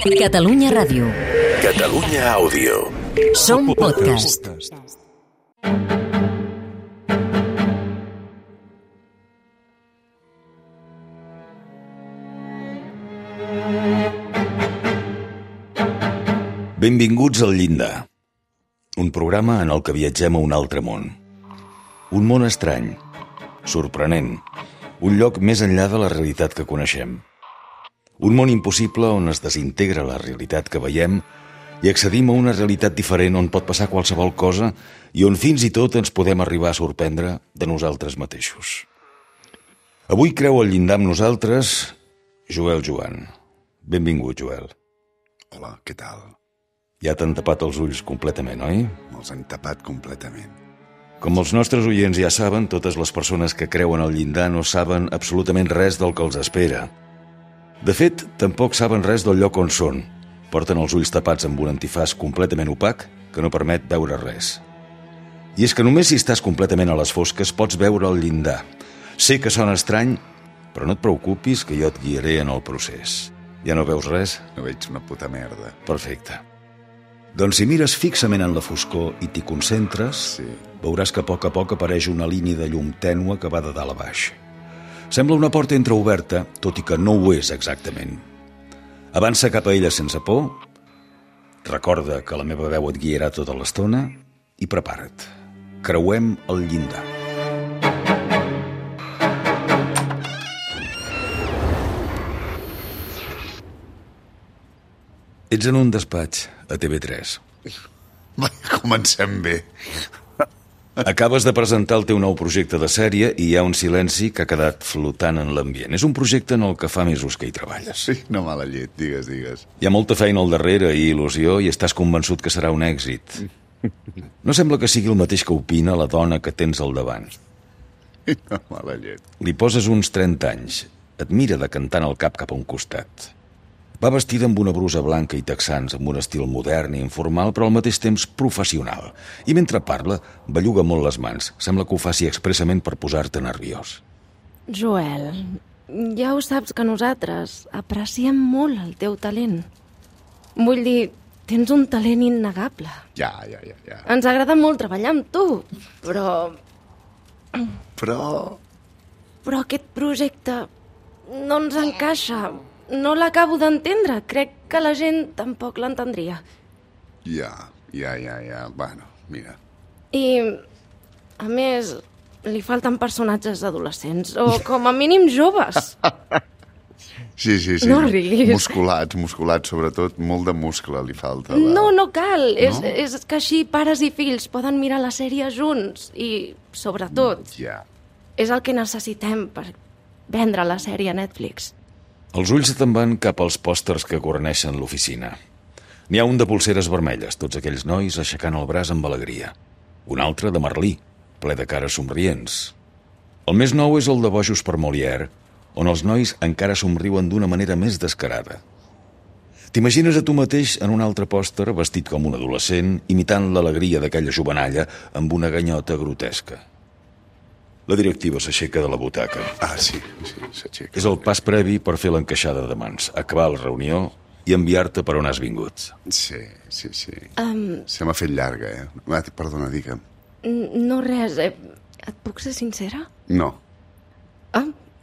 Catalunya Ràdio. Catalunya Àudio. Som podcast. Benvinguts al Llindar, un programa en el que viatgem a un altre món. Un món estrany, sorprenent, un lloc més enllà de la realitat que coneixem. Un món impossible on es desintegra la realitat que veiem i accedim a una realitat diferent on pot passar qualsevol cosa i on fins i tot ens podem arribar a sorprendre de nosaltres mateixos. Avui creu al llindar amb nosaltres Joel Joan. Benvingut, Joel. Hola, què tal? Ja t'han tapat els ulls completament, oi? Me'ls han tapat completament. Com els nostres oients ja saben, totes les persones que creuen al llindar no saben absolutament res del que els espera. De fet, tampoc saben res del lloc on són. Porten els ulls tapats amb un antifàs completament opac que no permet veure res. I és que només si estàs completament a les fosques pots veure el llindar. Sé que sona estrany, però no et preocupis que jo et guiaré en el procés. Ja no veus res? No veig una puta merda. Perfecte. Doncs si mires fixament en la foscor i t'hi concentres, Sí. veuràs que a poc apareix una línia de llum tènue que va de dalt a baix. Sembla una porta entreoberta, tot i que no ho és exactament. Avança cap a ella sense por, recorda que la meva veu et guiarà tota l'estona i prepara't. Creuem el llindar. Ets en un despatx a TV3. Va, comencem bé. Acabes de presentar el teu nou projecte de sèrie i hi ha un silenci que ha quedat flotant en l'ambient. És un projecte en el que fa mesos que hi treballes. Sí, no mala llet, digues. Hi ha molta feina al darrere i il·lusió i estàs convençut que serà un èxit. No sembla que sigui el mateix que opina la dona que tens al davant. No mala llet. Li poses uns 30 anys. Et mira decantant el cap cap a un costat. Va vestida amb una brusa blanca i texans, amb un estil modern i informal, però al mateix temps professional. I mentre parla, belluga molt les mans. Sembla que ho faci expressament per posar-te nerviós. Joel, ja ho saps que nosaltres apreciem molt el teu talent. Vull dir, tens un talent innegable. Ja. Ens agrada molt treballar amb tu, però aquest projecte no ens encaixa. No l'acabo d'entendre. Crec que la gent tampoc l'entendria. Ja. Bueno, mira. I, a més, li falten personatges adolescents, o com a mínim joves. Sí. No riguis. Musculats, sobretot. Molt de muscle li falta. No cal. No? És que així pares i fills poden mirar la sèrie junts. I, sobretot, Ja. és el que necessitem per vendre la sèrie a Netflix. Els ulls te'n van cap als pòsters que guarneixen l'oficina. N'hi ha un de pulseres vermelles, tots aquells nois aixecant el braç amb alegria. Un altre de Merlí, ple de cares somrients. El més nou és el de Bojos per Molière, on els nois encara somriuen d'una manera més descarada. T'imagines a tu mateix en un altre pòster, vestit com un adolescent, imitant l'alegria d'aquella jovenalla amb una ganyota grotesca. La directiva s'aixeca de la butaca. Sí, s'aixeca. És el pas previ per fer l'encaixada de mans, acabar la reunió i enviar-te per on has vingut. Sí. Se m'ha fet llarga, Va, perdona, digue'm. No res. Et puc ser sincera? No.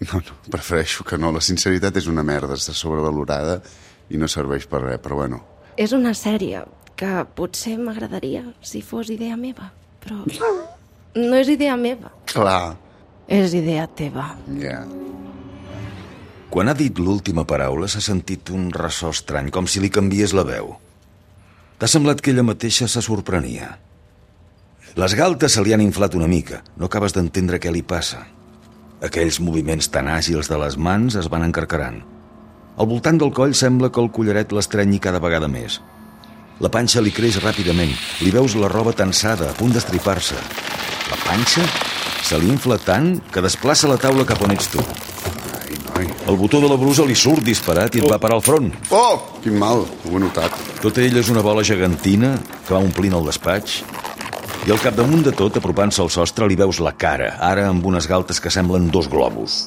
No, Prefereixo que no. La sinceritat és una merda, està sobrevalorada i no serveix per res, però bueno. És una sèrie que potser m'agradaria si fos idea meva, però no és idea meva. Clar. És idea teva. Ja. Quan ha dit l'última paraula s'ha sentit un ressò estrany, com si li canviés la veu. T'ha semblat que ella mateixa se sorprenia. Les galtes se li han inflat una mica, no acabes d'entendre què li passa. Aquells moviments tan àgils de les mans es van encarcarant. Al voltant del coll sembla que el collaret l'estrenyi cada vegada més. La panxa li creix ràpidament, li veus la roba tensada, a punt d'estripar-se. La panxa se li infla tant que desplaça la taula cap on ets tu. Ai, noi. El botó de la brusa li surt disparat i et va parar al front. Oh, quin mal, ho he notat. Tota ella és una bola gegantina que va omplint el despatx i al capdamunt de tot, apropant-se al sostre, li veus la cara, ara amb unes galtes que semblen 2 globus.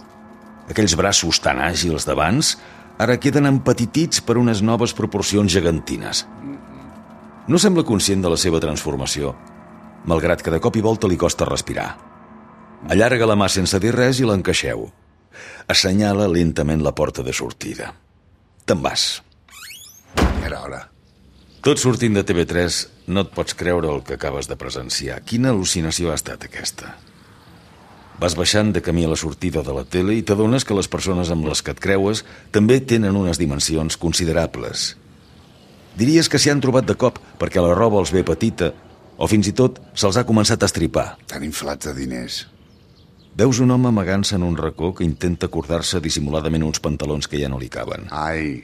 Aquells braços tan àgils d'abans ara queden empetitits per unes noves proporcions gegantines. No sembla conscient de la seva transformació, malgrat que de cop i volta li costa respirar. Allarga la mà sense dir res i l'encaixeu. Assenyala lentament la porta de sortida. Te'n vas. Era hora. Tot sortint de TV3, no et pots creure el que acabes de presenciar. Quina al·lucinació ha estat aquesta? Vas baixant de camí a la sortida de la tele i t'adones que les persones amb les que et creues també tenen unes dimensions considerables. Diries que s'hi han trobat de cop perquè la roba els ve petita o fins i tot se'ls ha començat a estripar. Tan inflats de diners. Veus un home amagant-se en un racó que intenta acordar-se dissimuladament uns pantalons que ja no li caben. Ai.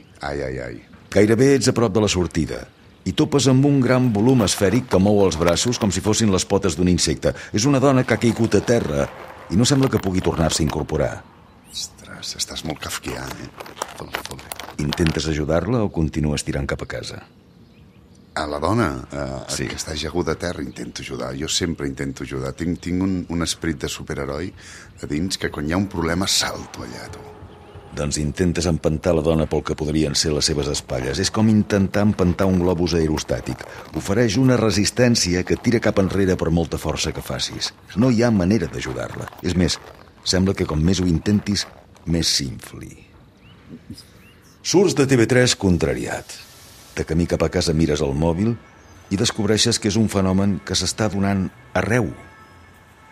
Gairebé ets a prop de la sortida i topes amb un gran volum esfèric que mou els braços com si fossin les potes d'un insecte. És una dona que ha caigut a terra i no sembla que pugui tornar-se a incorporar. Ostres, estàs molt kafkià, Fot-li. Intentes ajudar-la o continues tirant cap a casa? A la dona, Sí. que està ajaguda a terra, intento ajudar. Jo sempre intento ajudar. Tinc un esperit de superheroi a dins que quan hi ha un problema salto allà, tu. Doncs intentes empentar la dona pel que podrien ser les seves espatlles. És com intentar empentar un globus aerostàtic. Ofereix una resistència que et tira cap enrere per molta força que facis. No hi ha manera d'ajudar-la. És més, sembla que com més ho intentis, més s'infli. Surts de TV3 contrariat. De camí cap a casa mires el mòbil i descobreixes que és un fenomen que s'està donant arreu.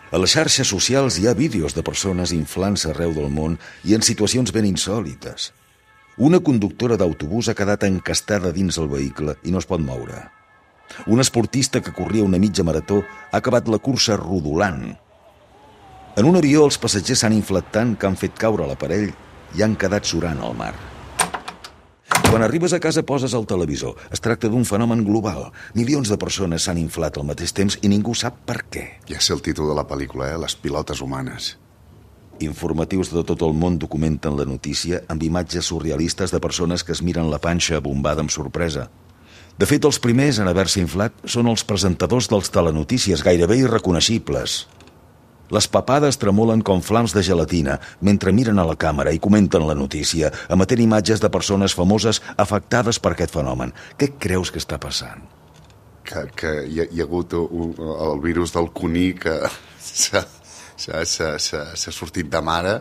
A les xarxes socials hi ha vídeos de persones inflant-se arreu del món i en situacions ben insòlites. Una conductora d'autobús ha quedat encastada dins el vehicle i no es pot moure. Un esportista que corria una mitja marató ha acabat la cursa rodolant. En un avió els passatgers s'han inflat tant que han fet caure l'aparell i han quedat surant al mar. Quan arribes a casa poses el televisor. Es tracta d'un fenomen global. Milions de persones s'han inflat al mateix temps i ningú sap per què. Ja sé el títol de la pel·lícula, Les pilotes humanes. Informatius de tot el món documenten la notícia amb imatges surrealistes de persones que es miren la panxa bombada amb sorpresa. De fet, els primers en haver-se inflat són els presentadors dels telenotícies, gairebé irreconeixibles. Les papades tremolen com flams de gelatina mentre miren a la càmera i comenten la notícia, emetent imatges de persones famoses afectades per aquest fenomen. Què creus que està passant? Que hi ha hagut el virus del cuní que s'ha sortit de mare.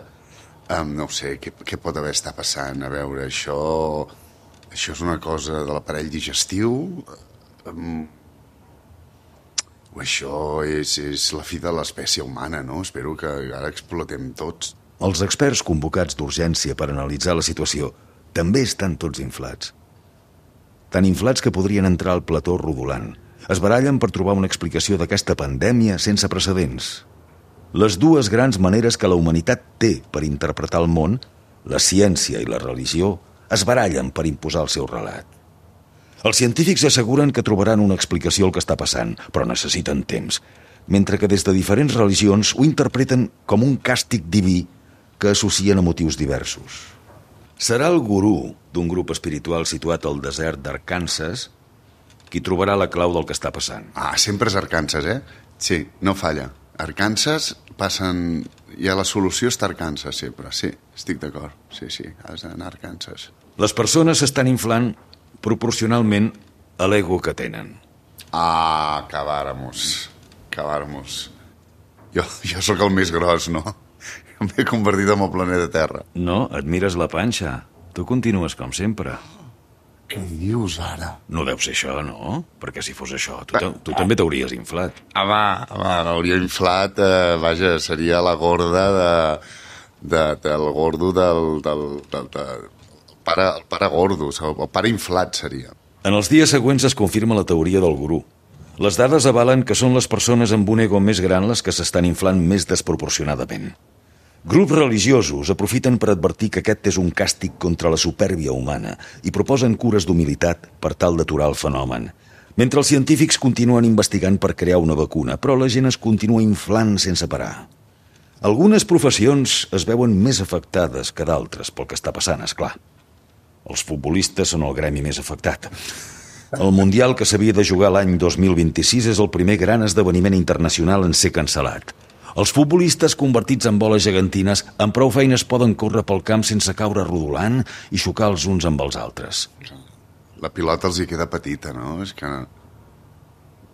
No ho sé, què pot haver estat passant? A veure, això és una cosa de l'aparell digestiu? O això és la fi de l'espècie humana, no? Espero que ara explotem tots. Els experts convocats d'urgència per analitzar la situació també estan tots inflats. Tan inflats que podrien entrar al plató rodolant. Es barallen per trobar una explicació d'aquesta pandèmia sense precedents. Les dues grans maneres que la humanitat té per interpretar el món, la ciència i la religió, es barallen per imposar el seu relat. Els científics asseguren que trobaran una explicació al que està passant, però necessiten temps, mentre que des de diferents religions ho interpreten com un càstig diví que associen a motius diversos. Serà el gurú d'un grup espiritual situat al desert d'Arkansas qui trobarà la clau del que està passant. Sempre és Arkansas, Sí, no falla. Arkansas passen... Ja la solució està a Arkansas, sempre. Sí, estic d'acord. Sí, has d'anar a Arkansas. Les persones s'estan inflant proporcionalment a l'ego que tenen. Acabáramos. Jo sóc el més gros, no? M'he convertit en el planeta Terra. No, et mires la panxa. Tu continues com sempre. Què dius ara? No deu ser això, no? Perquè si fos això, tu també t'hauries inflat. L'hauria inflat, seria la gorda del gordo del pare gordo, el pare inflat seria. En els dies següents es confirma la teoria del gurú. Les dades avalen que són les persones amb un ego més gran les que s'estan inflant més desproporcionadament. Grups religiosos aprofiten per advertir que aquest és un càstig contra la supèrbia humana i proposen cures d'humilitat per tal d'aturar el fenomen. Mentre els científics continuen investigant per crear una vacuna, però la gent es continua inflant sense parar. Algunes professions es veuen més afectades que d'altres pel que està passant, esclar. Els futbolistes són el gremi més afectat. El Mundial que s'havia de jugar l'any 2026 és el primer gran esdeveniment internacional en ser cancel·lat. Els futbolistes convertits en boles gegantines amb prou feines poden córrer pel camp sense caure rodolant i xocar els uns amb els altres. La pilota els hi queda petita, no? És que...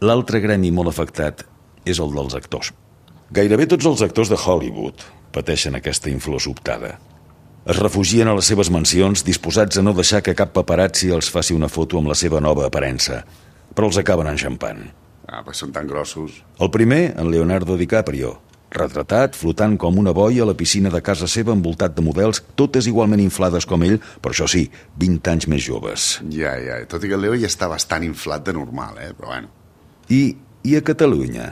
L'altre gremi molt afectat és el dels actors. Gairebé tots els actors de Hollywood pateixen aquesta inflor sobtada. Es refugien a les seves mansions disposats a no deixar que cap paparazzi els faci una foto amb la seva nova aparença, però els acaben enxampant. Pues són tan grossos. El primer, en Leonardo DiCaprio, retratat, flotant com una boia a la piscina de casa seva envoltat de models, totes igualment inflades com ell, però això sí, 20 anys més joves. Ja, tot i que el Leo ja està bastant inflat de normal, però bueno. I a Catalunya?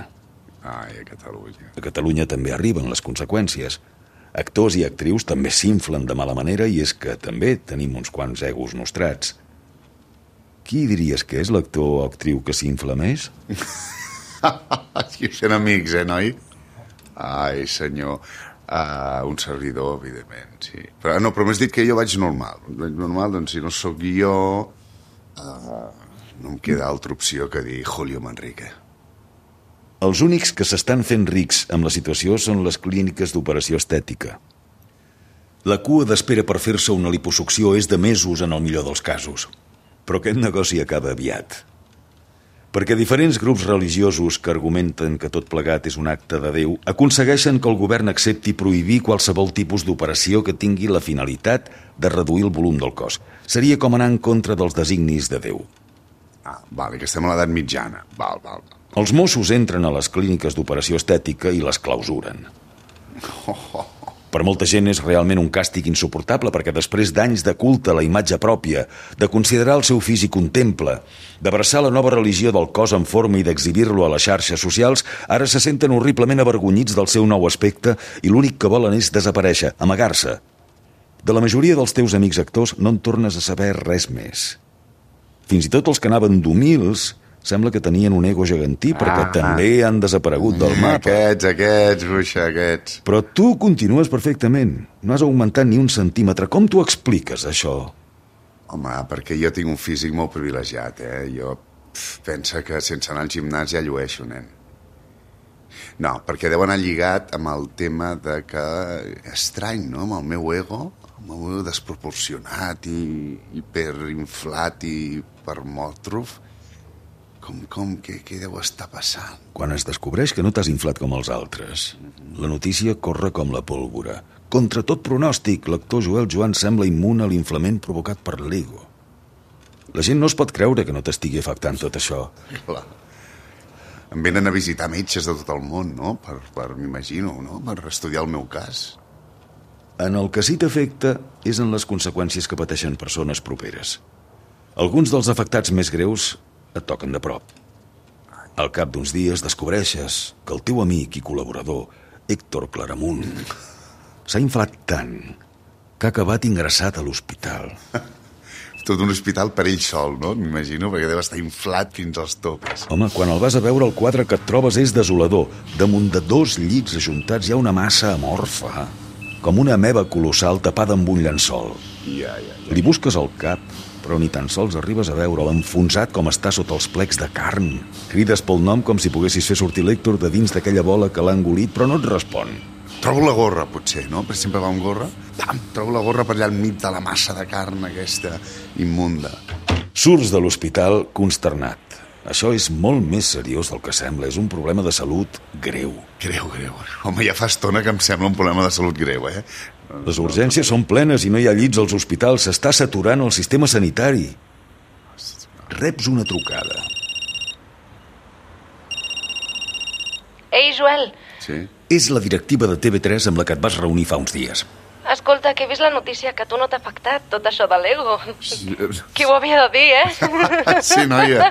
Ai, a Catalunya. A Catalunya també arriben les conseqüències. Actors i actrius també s'inflen de mala manera i és que també tenim uns quants egos nostrats. Qui diries que és l'actor o actriu que s'infla més? Aquí sent amics, noi? Ai, senyor. Un servidor, evidentment, sí. Però m'has dit que jo vaig normal. Vaig normal, doncs si no sóc jo... no em queda altra opció que dir Julio Manrique. Els únics que s'estan fent rics amb la situació són les clíniques d'operació estètica. La cua d'espera per fer-se una liposucció és de mesos en el millor dels casos. Però aquest negoci acaba aviat. Perquè diferents grups religiosos que argumenten que tot plegat és un acte de Déu aconsegueixen que el govern accepti prohibir qualsevol tipus d'operació que tingui la finalitat de reduir el volum del cos. Seria com anar en contra dels designis de Déu. Vale, que estem a l'edat mitjana. Val. Els Mossos entren a les clíniques d'operació estètica i les clausuren. Per molta gent és realment un càstig insuportable perquè després d'anys de culte a la imatge pròpia, de considerar el seu físic un temple, d'abraçar la nova religió del cos en forma i d'exhibir-lo a les xarxes socials, ara se senten horriblement avergonyits del seu nou aspecte i l'únic que volen és desaparèixer, amagar-se. De la majoria dels teus amics actors no en tornes a saber res més. Fins i tot els que anaven d'humils sembla que tenien un ego gegantí perquè també han desaparegut del mapa. Aquests, bruixa, aquests. Però tu continues perfectament. No has augmentat ni un centímetre. Com t'ho expliques, això? Home, perquè jo tinc un físic molt privilegiat, Jo penso que sense anar al gimnàs ja llueixo, nen. No, perquè deu anar lligat amb el tema de que... estrany, no?, amb el meu ego, amb el meu desproporcionat i hiperinflat i hipermòtrof. Què deu estar passant? Quan es descobreix que no t'has inflat com els altres, la notícia corre com la pólvora. Contra tot pronòstic, l'actor Joel Joan sembla immune a l'inflament provocat per l'ego. La gent no es pot creure que no t'estigui afectant tot això. Clar. Em venen a visitar metges de tot el món, no? M'imagino, no? Per estudiar el meu cas. En el que sí t'afecta és en les conseqüències que pateixen persones properes. Alguns dels afectats més greus et toquen de prop. Al cap d'uns dies descobreixes que el teu amic i col·laborador, Héctor Claramunt, s'ha inflat tant que ha acabat ingressat a l'hospital. Tot un hospital per ell sol, no? M'imagino, perquè deu estar inflat fins als topes. Home, quan el vas a veure, el quadre que et trobes és desolador. Damunt de 2 llits ajuntats hi ha una massa amorfa, com una ameba colossal tapada amb un llençol. Ja. Li busques al cap, però ni tan sols arribes a veure'l enfonsat com està sota els plecs de carn. Crides pel nom com si poguessis fer sortir l'Héctor de dins d'aquella bola que l'ha engolit, però no et respon. Trobo la gorra, potser, no? Perquè sempre va amb gorra. Trobo la gorra per allà al mig de la massa de carn aquesta immunda. Surts de l'hospital consternat. Això és molt més seriós del que sembla. És un problema de salut greu. Greu. Home, ja fa estona que em sembla un problema de salut greu, Les urgències són plenes i no hi ha llits als hospitals. S'està saturant el sistema sanitari. Reps una trucada. Ei, Joel. Sí? És la directiva de TV3 amb la que et vas reunir fa uns dies. Escolta, que he vist la notícia que a tu no t'ha afectat tot això de l'ego. Qui ho havia de dir, Sí, noia.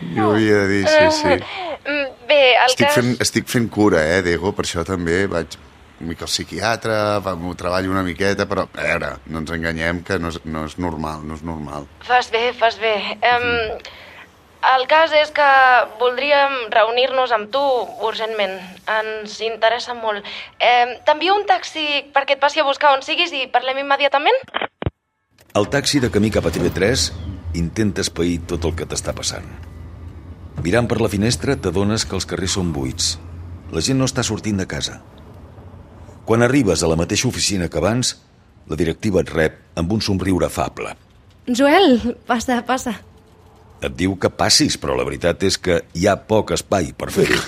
Qui ho havia de dir, sí. Bé, el cas... Estic fent cura, d'ego, per això també vaig una mica al psiquiatre, m'ho treballo una miqueta, però, a veure, no ens enganyem que no és normal. Fas bé. El cas és que voldríem reunir-nos amb tu urgentment. Ens interessa molt. T'envio un taxi perquè et passi a buscar on siguis i parlem immediatament? El taxi de camí cap a TV3 intenta espair tot el que t'està passant. Mirant per la finestra t'adones que els carrers són buits. La gent no està sortint de casa. Quan arribes a la mateixa oficina que abans, la directiva et rep amb un somriure afable. Joel, passa. Et diu que passis, però la veritat és que hi ha poc espai per fer-ho.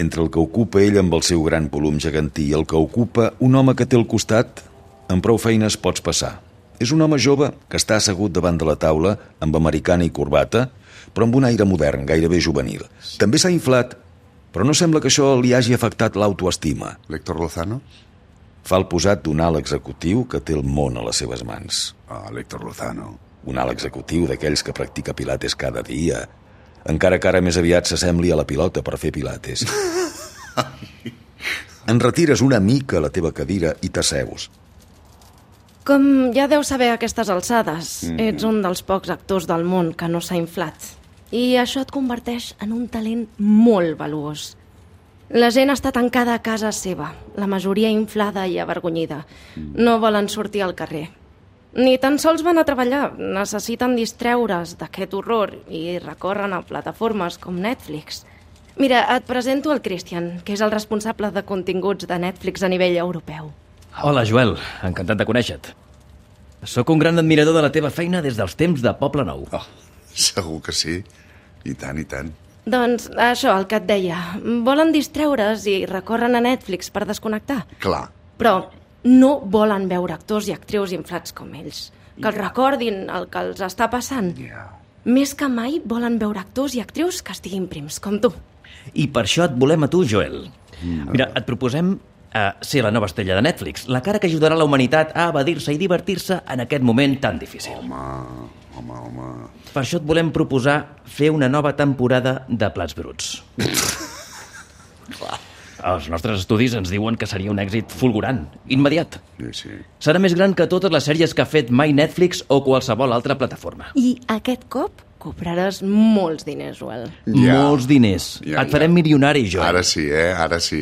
Entre el que ocupa ell amb el seu gran volum gegantí i el que ocupa un home que té al costat, amb prou feines pots passar. És un home jove que està assegut davant de la taula amb americana i corbata, però amb un aire modern, gairebé juvenil. També s'ha inflat, però no sembla que això li hagi afectat l'autoestima. L'Héctor Lozano? Fa el posat d'un alt executiu que té el món a les seves mans. L'Héctor Lozano. Un alt executiu d'aquells que practica pilates cada dia, encara que ara més aviat s'assembli a la pilota per fer pilates. En retires una mica a la teva cadira i t'asseus. Com ja deus saber a aquestes alçades, ets un dels pocs actors del món que no s'ha inflat. I això et converteix en un talent molt valuós. La gent està tancada a casa seva, la majoria inflada i avergonyida. No volen sortir al carrer. Ni tan sols van a treballar, necessiten distreure's d'aquest horror i recorren a plataformes com Netflix. Mira, et presento el Christian, que és el responsable de continguts de Netflix a nivell europeu. Hola, Joel, encantat de conèixer-te. Sóc un gran admirador de la teva feina des dels temps de Poble Nou. Segur que sí. I tant, i tant. Doncs això, el que et deia. Volen distreure's i recorren a Netflix per desconnectar. Clar. Però no volen veure actors i actrius inflats com ells. Que els recordin el que els està passant. Més que mai volen veure actors i actrius que estiguin prims, com tu. I per això et volem a tu, Joel. Mira, et proposem ser la nova estrella de Netflix, la cara que ajudarà la humanitat a evadir-se i divertir-se en aquest moment tan difícil. Home. Per això et volem proposar fer una nova temporada de Plats Bruts. Els nostres estudis ens diuen que seria un èxit fulgurant, immediat. Sí. Serà més gran que totes les sèries que ha fet mai Netflix o qualsevol altra plataforma. I aquest cop cobraràs molts diners, Joel. Molts diners. Et farem milionari, Joel. Ara sí,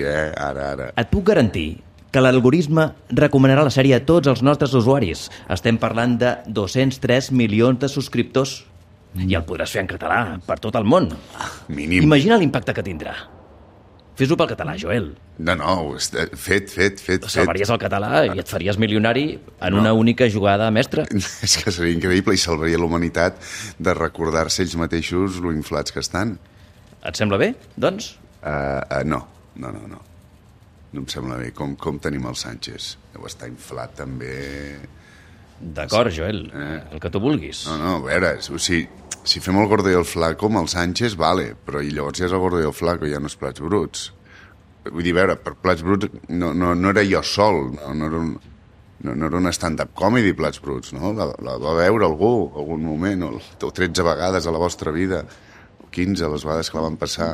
Ara. Et puc garantir que l'algoritme recomanarà la sèrie a tots els nostres usuaris. Estem parlant de 203 milions de subscriptors. I el podràs fer en català, per tot el món. Mínim. Imagina l'impacte que tindrà. Fes-ho pel català, Joel. No, fet. Salvaries el català i et faries milionari en una única jugada mestra. És que seria increïble i salvaria la humanitat de recordar-se ells mateixos lo inflats que estan. Et sembla bé, doncs? No. No em sembla bé. Com tenim el Sánchez? Deu estar inflat també. D'acord, Joel, el que tu vulguis. No, a veure, si fem el gordo i el flaco amb el Sánchez, vale, però i llavors ja és el gordo i el flaco, ja no és Plats Bruts. Vull dir, a veure, per Plats Bruts no era jo sol, no era un stand-up comedy, Plats Bruts, no? La va veure algú, algun moment, o 13 vegades a la vostra vida, o 15, les vegades que la van passar.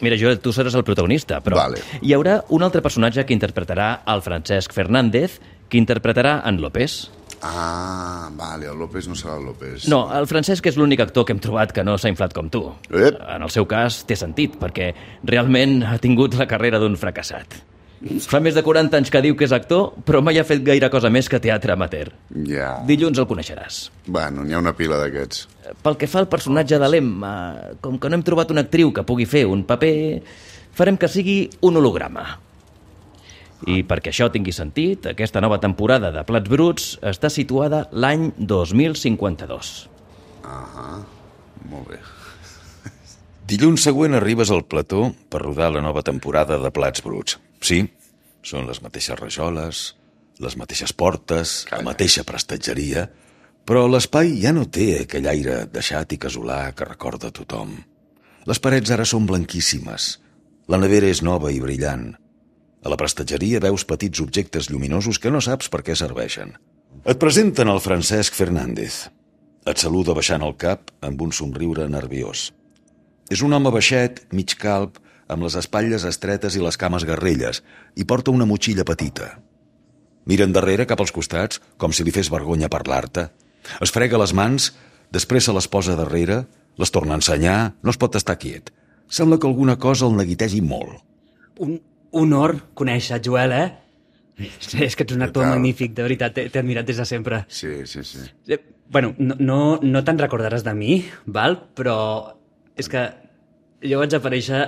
Mira, Joel, tu seràs el protagonista, però Vale. Hi haurà un altre personatge que interpretarà el Francesc Fernández, que interpretarà en López. Vale, el López no serà el López. No, el Francesc és l'únic actor que hem trobat que no s'ha inflat com tu. En el seu cas té sentit, perquè realment ha tingut la carrera d'un fracassat. Fa més de 40 anys que diu que és actor, però mai ha fet gaire cosa més que teatre amateur. Ja. Dilluns el coneixeràs. Bueno, n'hi ha una pila d'aquests. Pel que fa al personatge de l'Emma, com que no hem trobat una actriu que pugui fer un paper, farem que sigui un holograma. I perquè això tingui sentit, aquesta nova temporada de Plats Bruts està situada l'any 2052. Molt bé. Dilluns següent arribes al plató per rodar la nova temporada de Plats Bruts. Sí, són les mateixes rajoles, les mateixes portes, la mateixa prestatgeria, però l'espai ja no té aquell aire deixat i casolà que recorda tothom. Les parets ara són blanquíssimes, la nevera és nova i brillant. A la prestatgeria veus petits objectes lluminosos que no saps per què serveixen. Et presenten el Francesc Fernández. Et saluda baixant el cap amb un somriure nerviós. És un home baixet, mig calb, amb les espatlles estretes i les cames garrelles, i porta una motxilla petita. Mira endarrere cap als costats, com si li fes vergonya parlar-te. Es frega les mans, després se les posa darrere, les torna a ensenyar, no es pot estar quiet. Sembla que alguna cosa el neguitegi molt. Un honor conèixer, Joel, És que ets un actor magnífic, de veritat, t'he admirat des de sempre. Sí. Bueno, no te'n recordaràs de mi, val? Però és que jo vaig aparèixer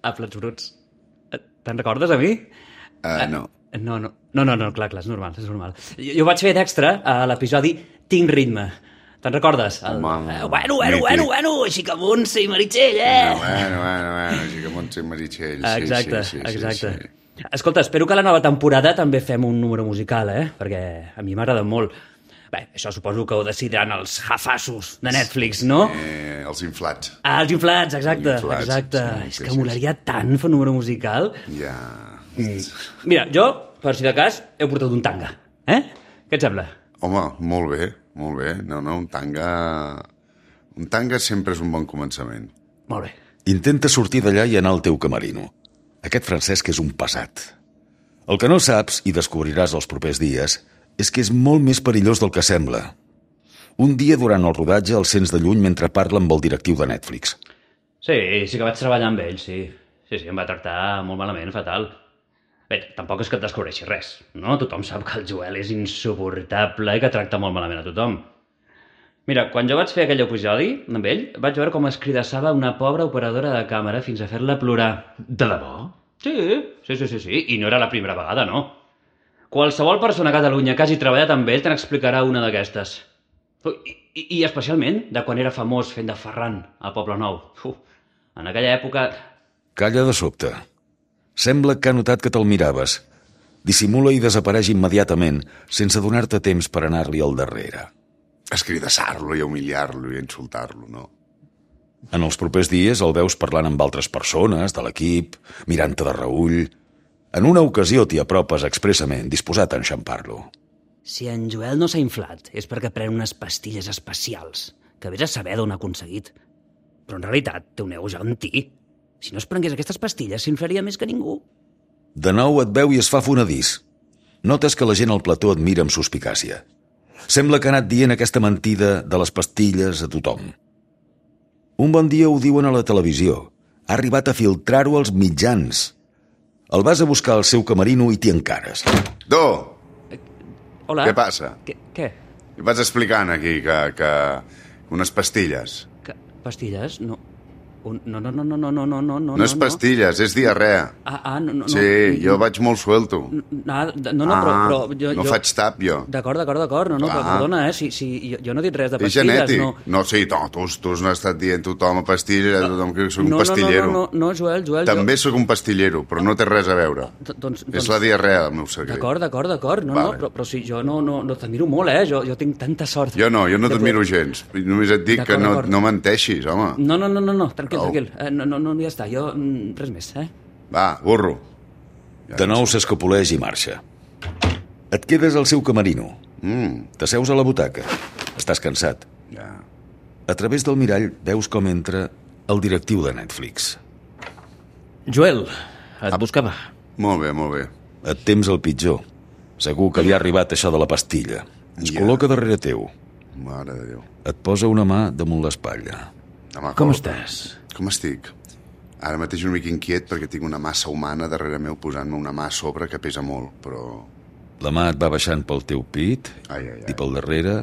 a Plats Bruts. Te'n recordes, a mi? No. No, clar, és normal. Jo vaig fer d'extra a l'episodi Tinc ritme. Te'n recordes? Bueno, així que Montse i Meritxell, Bueno, així que Montse i Meritxell. Exacte. Sí. Escolta, espero que a la nova temporada també fem un número musical, perquè a mi m'agrada molt. Bé, això suposo que ho decidiran els jafassos de Netflix, no? Els inflats. Els inflats, exacte. És que molaria tant fer un número musical. Ja... Mira, jo, per si de cas, he portat un tanga. Què et sembla? Home, molt bé. No, un tanga... Un tanga sempre és un bon començament. Molt bé. Intenta sortir d'allà i anar al teu camerino. Aquest Francesc és un pesat. El que no saps, i descobriràs els propers dies, és que és molt més perillós del que sembla. Un dia durant el rodatge el sents de lluny mentre parla amb el directiu de Netflix. Sí que vaig treballar amb ell, sí. Sí, em va tractar molt malament, fatal. Bé, tampoc és que et descobreixi res, no? Tothom sap que el Joel és insuportable i que tracta molt malament a tothom. Mira, quan jo vaig fer aquell episodi amb ell, vaig veure com es cridassava una pobra operadora de càmera fins a fer-la plorar. De debò? Sí. I no era la primera vegada, no. Qualsevol persona a Catalunya que hagi treballat amb ell te n'explicarà una d'aquestes. I especialment de quan era famós fent de Ferran al Poble Nou. En aquella època... Calla de sobte. Sembla que ha notat que te'l miraves. Dissimula i desapareix immediatament, sense donar-te temps per anar-li al darrere. Escridassar-lo i humiliar-lo i insultar-lo, no? En els propers dies el veus parlant amb altres persones de l'equip, mirant-te de reüll. En una ocasió t'hi apropes expressament, disposat a enxampar-lo. Si en Joel no s'ha inflat és perquè pren unes pastilles especials, que vés a saber d'on ha aconseguit. Però en realitat té un ego gegantí. Si no es prengués aquestes pastilles, s'inflaria més que ningú. De nou et veu i es fa fonedís. Notes que la gent al plató et mira amb suspicàcia. Sembla que ha anat dient aquesta mentida de les pastilles a tothom. Un bon dia ho diuen a la televisió. Ha arribat a filtrar-ho als mitjans. El vas a buscar al seu camerino i t'hi encares. Hola. Què passa? Què? Què vas explicant aquí que unes pastilles? Pastilles? No. No. No és pastilles, és diarrea. No. Sí, jo vaig molt suelto. Però jo... No faig tap, jo. D'acord. No, però perdona, si jo no he dit res de És pastilles. genètic. No, sí, tu has estat dient tothom a pastilles, tothom que soc un pastillero. No, Joel. També sóc un pastillero, però no té res a veure. És la diarrea del meu secret. D'acord. No, però si jo no t'admiro molt, Jo tinc tanta sort. Jo no t'admiro gens. Només et dic que no menteixis, home. No, tranquil. No, ja està. Jo, res més, Va, burro. De nou s'escapoleix i marxa. Et quedes al seu camerino. T'asseus a la butaca. Estàs cansat. Ja. A través del mirall veus com entra el directiu de Netflix. Joel, et buscava. Molt bé. Et temps el pitjor. Segur que li ha arribat això de la pastilla. Es col·loca darrere teu. Mare de Déu. Et posa una mà damunt l'espatlla. Com estàs? Com estic? Ara mateix una mica inquiet perquè tinc una massa humana darrere meu posant-me una mà a sobre que pesa molt, però... La mà et va baixant pel teu pit Ai. i pel darrere,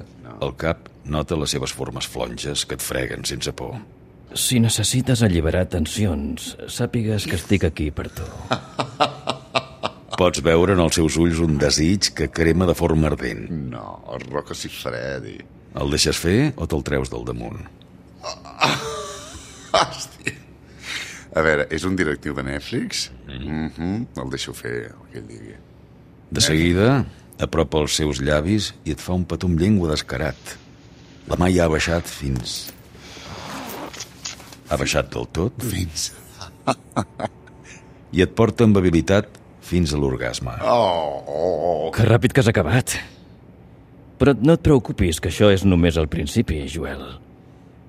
el cap nota les seves formes flonges que et freguen sense por. Si necessites alliberar tensions, sàpigues que estic aquí per tu. Pots veure en els seus ulls un desig que crema de forma ardent. No, el roc si Fredi. El deixes fer o te'l treus del damunt? Hòstia. A veure, és un directiu de Netflix? El deixo fer el que ell digui. De seguida, apropa els seus llavis i et fa un petó amb llengua descarat. La mà ja ha baixat fins... Ha baixat del tot? Fins... I et porta amb habilitat fins a l'orgasme. Que ràpid que has acabat. Però no et preocupis, que això és només el principi, Joel.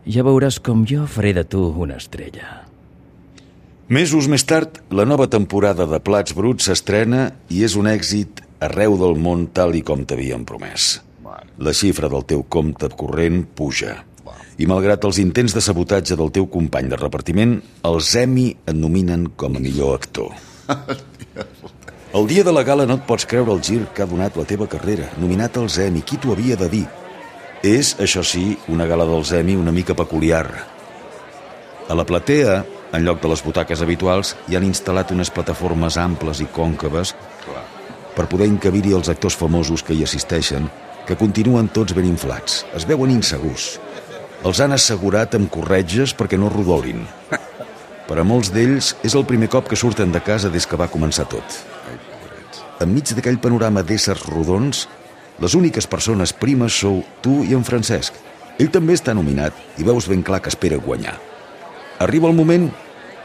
Ja veuràs com jo faré de tu una estrella. Mesos més tard, la nova temporada de Plats Bruts s'estrena i és un èxit arreu del món tal i com t'havien promès. La xifra del teu compte corrent puja. I malgrat els intents de sabotatge del teu company de repartiment, els Emmy et nominen com a millor actor. El dia de la gala no et pots creure el gir que ha donat la teva carrera. Nominat als Emmy, qui t'ho havia de dir? És, això sí, una gala dels Emmy una mica peculiar. A la platea En lloc de les butaques habituals, hi han instal·lat unes plataformes amples i còncaves per poder encabir-hi els actors famosos que hi assisteixen, que continuen tots ben inflats. Es veuen insegurs. Els han assegurat amb corretges perquè no rodolin. Per a molts d'ells és el primer cop que surten de casa des que va començar tot. Enmig d'aquell panorama d'éssers rodons, les úniques persones primes sou tu i en Francesc. Ell també està nominat i veus ben clar que espera guanyar. Arriba el moment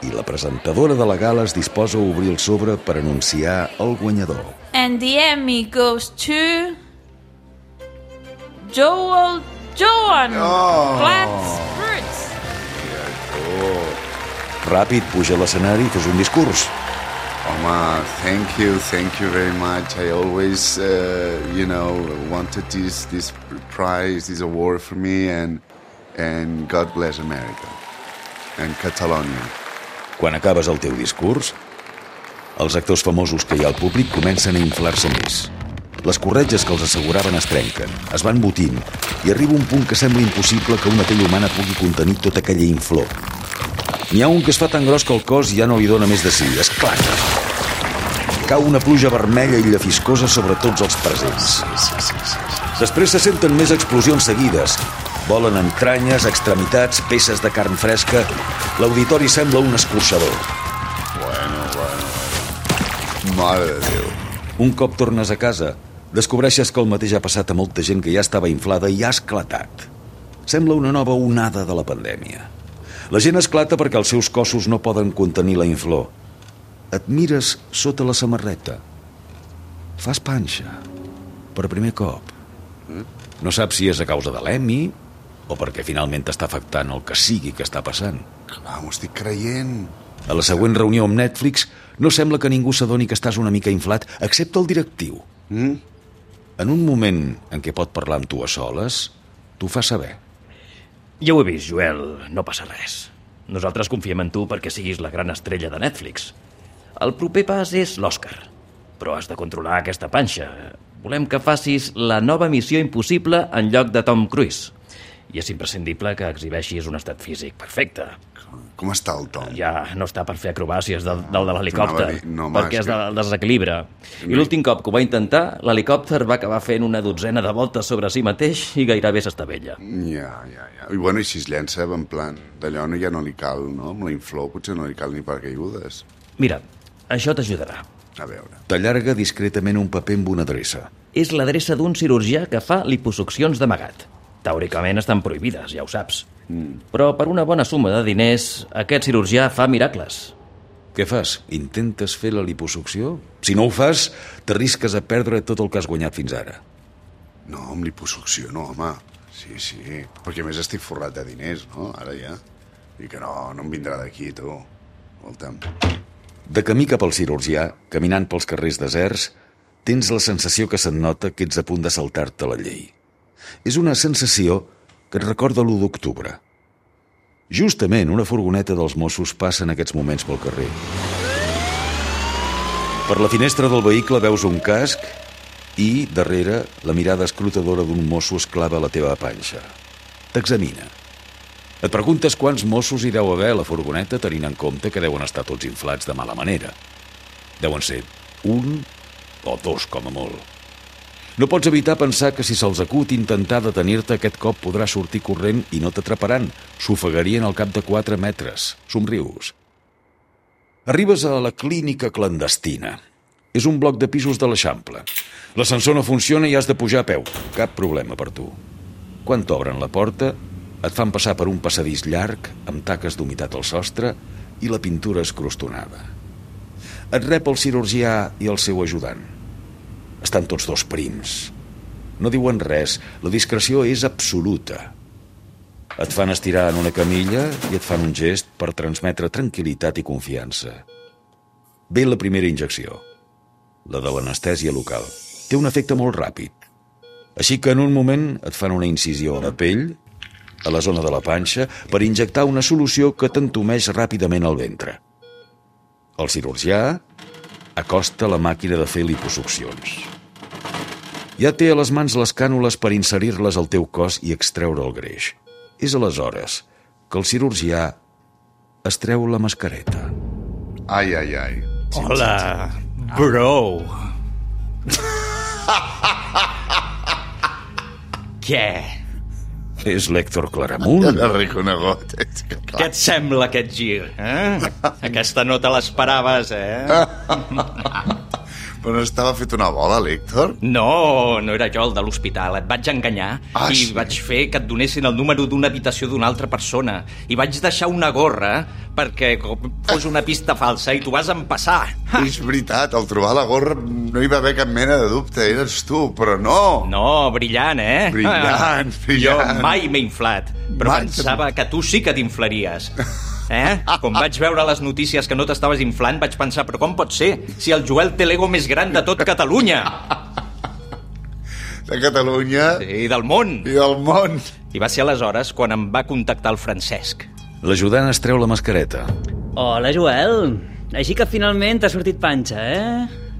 i la presentadora de la gala es disposa a obrir el sobre per anunciar el guanyador. And the Emmy goes to Joel Joan Platz. Ràpid, puja a l'escenari i fes un discurs. Home, thank you very much. I always, wanted this prize, this award for me, and God bless America and Catalonia. Quan acabes el teu discurs, els actors famosos que hi ha al públic comencen a inflar-se més. Les corretges que els asseguraven es trenquen, es van botint, i arriba un punt que sembla impossible que una pell humana pugui contenir tota aquella inflor. N'hi ha un que es fa tan gros que el cos ja no li dona més de si, esclata. Cau una pluja vermella i llafiscosa sobre tots els presents. Després se senten més explosions seguides. Volen entranyes, extremitats, peces de carn fresca. L'auditori sembla un escorxador. Bueno. Mare de Déu. Un cop tornes a casa, descobreixes que el mateix ha passat a molta gent que ja estava inflada i ha esclatat. Sembla una nova onada de la pandèmia. La gent esclata perquè els seus cossos no poden contenir la inflor. Et mires sota la samarreta. Fas panxa. Per primer cop. No saps si és a causa de l'Emmy o perquè finalment t'està afectant el que sigui que està passant. Clar, m'ho estic creient. A la següent reunió amb Netflix no sembla que ningú s'adoni que estàs una mica inflat, excepte el directiu. En un moment en què pot parlar amb tu a soles, t'ho fa saber. Ja ho he vist, Joel, no passa res. Nosaltres confiem en tu perquè siguis la gran estrella de Netflix. El proper pas és l'Oscar. Però has de controlar aquesta panxa. Volem que facis la nova Missió Impossible en lloc de Tom Cruise. I és imprescindible que exhibeixis un estat físic perfecte. Com està el Tom? Ja no està per fer acrobàcies del de l'helicòpter, No, perquè és del desequilibre. I l'últim cop que ho va intentar, l'helicòpter va acabar fent una dotzena de voltes sobre si mateix i gairebé s'estavella. Ja. I si es llença en plan d'allò ja no li cal, no? Amb la inflor potser no li cal ni paracaigudes. Mira, això t'ajudarà. A veure. T'allarga discretament un paper amb una adreça. És l'adreça d'un cirurgià que fa liposuccions d'amagat. Teòricament estan prohibides, ja ho saps. Però per una bona suma de diners, aquest cirurgià fa miracles. Què fas? Intentes fer la liposucció? Si no ho fas, t'arrisques a perdre tot el que has guanyat fins ara. No, amb liposucció no, home. Sí. Perquè a més estic forrat de diners, no? Ara ja. I que no em vindrà d'aquí, tu. Escolta'm. De camí cap al cirurgià, caminant pels carrers deserts, tens la sensació que se't nota que ets a punt de saltar-te la llei. És una sensació que et recorda l'1 d'octubre. Justament una furgoneta dels Mossos passa en aquests moments pel carrer. Per la finestra del vehicle veus un casc i, darrere, la mirada escrutadora d'un mosso es clava a la teva panxa. T'examina. Et preguntes quants Mossos hi deu haver a la furgoneta tenint en compte que deuen estar tots inflats de mala manera. Deuen ser 1 o 2 com a molt. No pots evitar pensar que si se'ls acut intentar detenir-te aquest cop podrà sortir corrent i no t'atraparan. S'ofegarien al cap de 4 metres. Somrius. Arribes a la clínica clandestina. És un bloc de pisos de l'Eixample. L'ascensor no funciona i has de pujar a peu. Cap problema per tu. Quan t'obren la porta, et fan passar per un passadís llarg amb taques d'humitat al sostre i la pintura escrostonada. Et rep el cirurgià i el seu ajudant. Estan tots dos prims. No diuen res, la discreció és absoluta. Et fan estirar en una camilla i et fan un gest per transmetre tranquil·litat i confiança. Ve la primera injecció, la de l'anestèsia local. Té un efecte molt ràpid. Així que en un moment et fan una incisió a la pell, a la zona de la panxa, per injectar una solució que t'entumeix ràpidament al ventre. El cirurgià acosta la màquina de fer liposuccions. Ja té a les mans les cànules per inserir-les al teu cos i extreure el greix. És aleshores que el cirurgià es treu la mascareta. Ai, ai, ai. Hola, bro. Què? És l'Héctor Claramunt. Ja l'he reconegut. Què et sembla aquest gir? Aquesta no te l'esperaves, Però no estava fet una bola, l'Héctor? No, no era jo el de l'hospital. Et vaig enganyar i sí? vaig fer que et donessin el número d'una habitació d'una altra persona. I vaig deixar una gorra perquè fos una pista falsa i tu vas empassar. És veritat, al trobar la gorra no hi va haver cap mena de dubte, eres tu, però no! No, brillant, Brillant. Jo mai m'he inflat, però Mai. pensava que tu sí que t'inflaries. Quan vaig veure les notícies que no t'estaves inflant, vaig pensar, però com pot ser? Si el Joel té l'ego més gran de tot Catalunya. De Catalunya I del món. i del món. I va ser aleshores quan em va contactar el Francesc. L'ajudant es treu la mascareta. Hola, Joel. Així que finalment t'ha sortit panxa,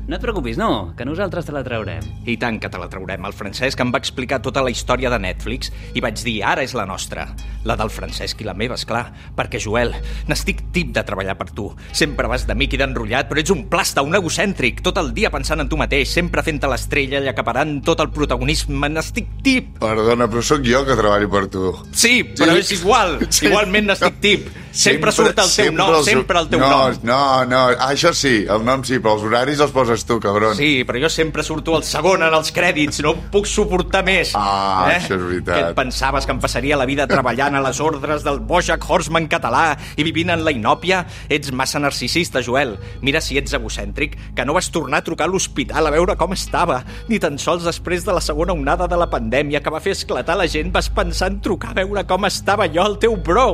No et preocupis, no, que nosaltres te la traurem. I tant que te la traurem. El Francesc em va explicar tota la història de Netflix i vaig dir, ara és la nostra. La del Francesc i la meva, esclar. Perquè, Joel, n'estic tip de treballar per tu. Sempre vas d'amic i d'enrotllat, però ets un plasta, un egocèntric, tot el dia pensant en tu mateix, sempre fent-te l'estrella i acaparant tot el protagonisme. N'estic tip. Perdona, però sóc jo que treballo per tu. Sí, però és igual. Sí. Igualment n'estic tip. Sempre surt el teu nom, sempre el teu nom. No, això sí, el nom sí, però els horaris els poses tu, cabron. Sí, però jo sempre surto al segon en els crèdits, no puc suportar més. Això és veritat. Que et pensaves que em passaria la vida treballant a les ordres del Bojack Horseman català i vivint en la inòpia? Ets massa narcisista, Joel. Mira si ets egocèntric, que no vas tornar a trucar a l'hospital a veure com estava. Ni tan sols després de la segona onada de la pandèmia que va fer esclatar la gent vas pensar en trucar a veure com estava jo, el teu bro.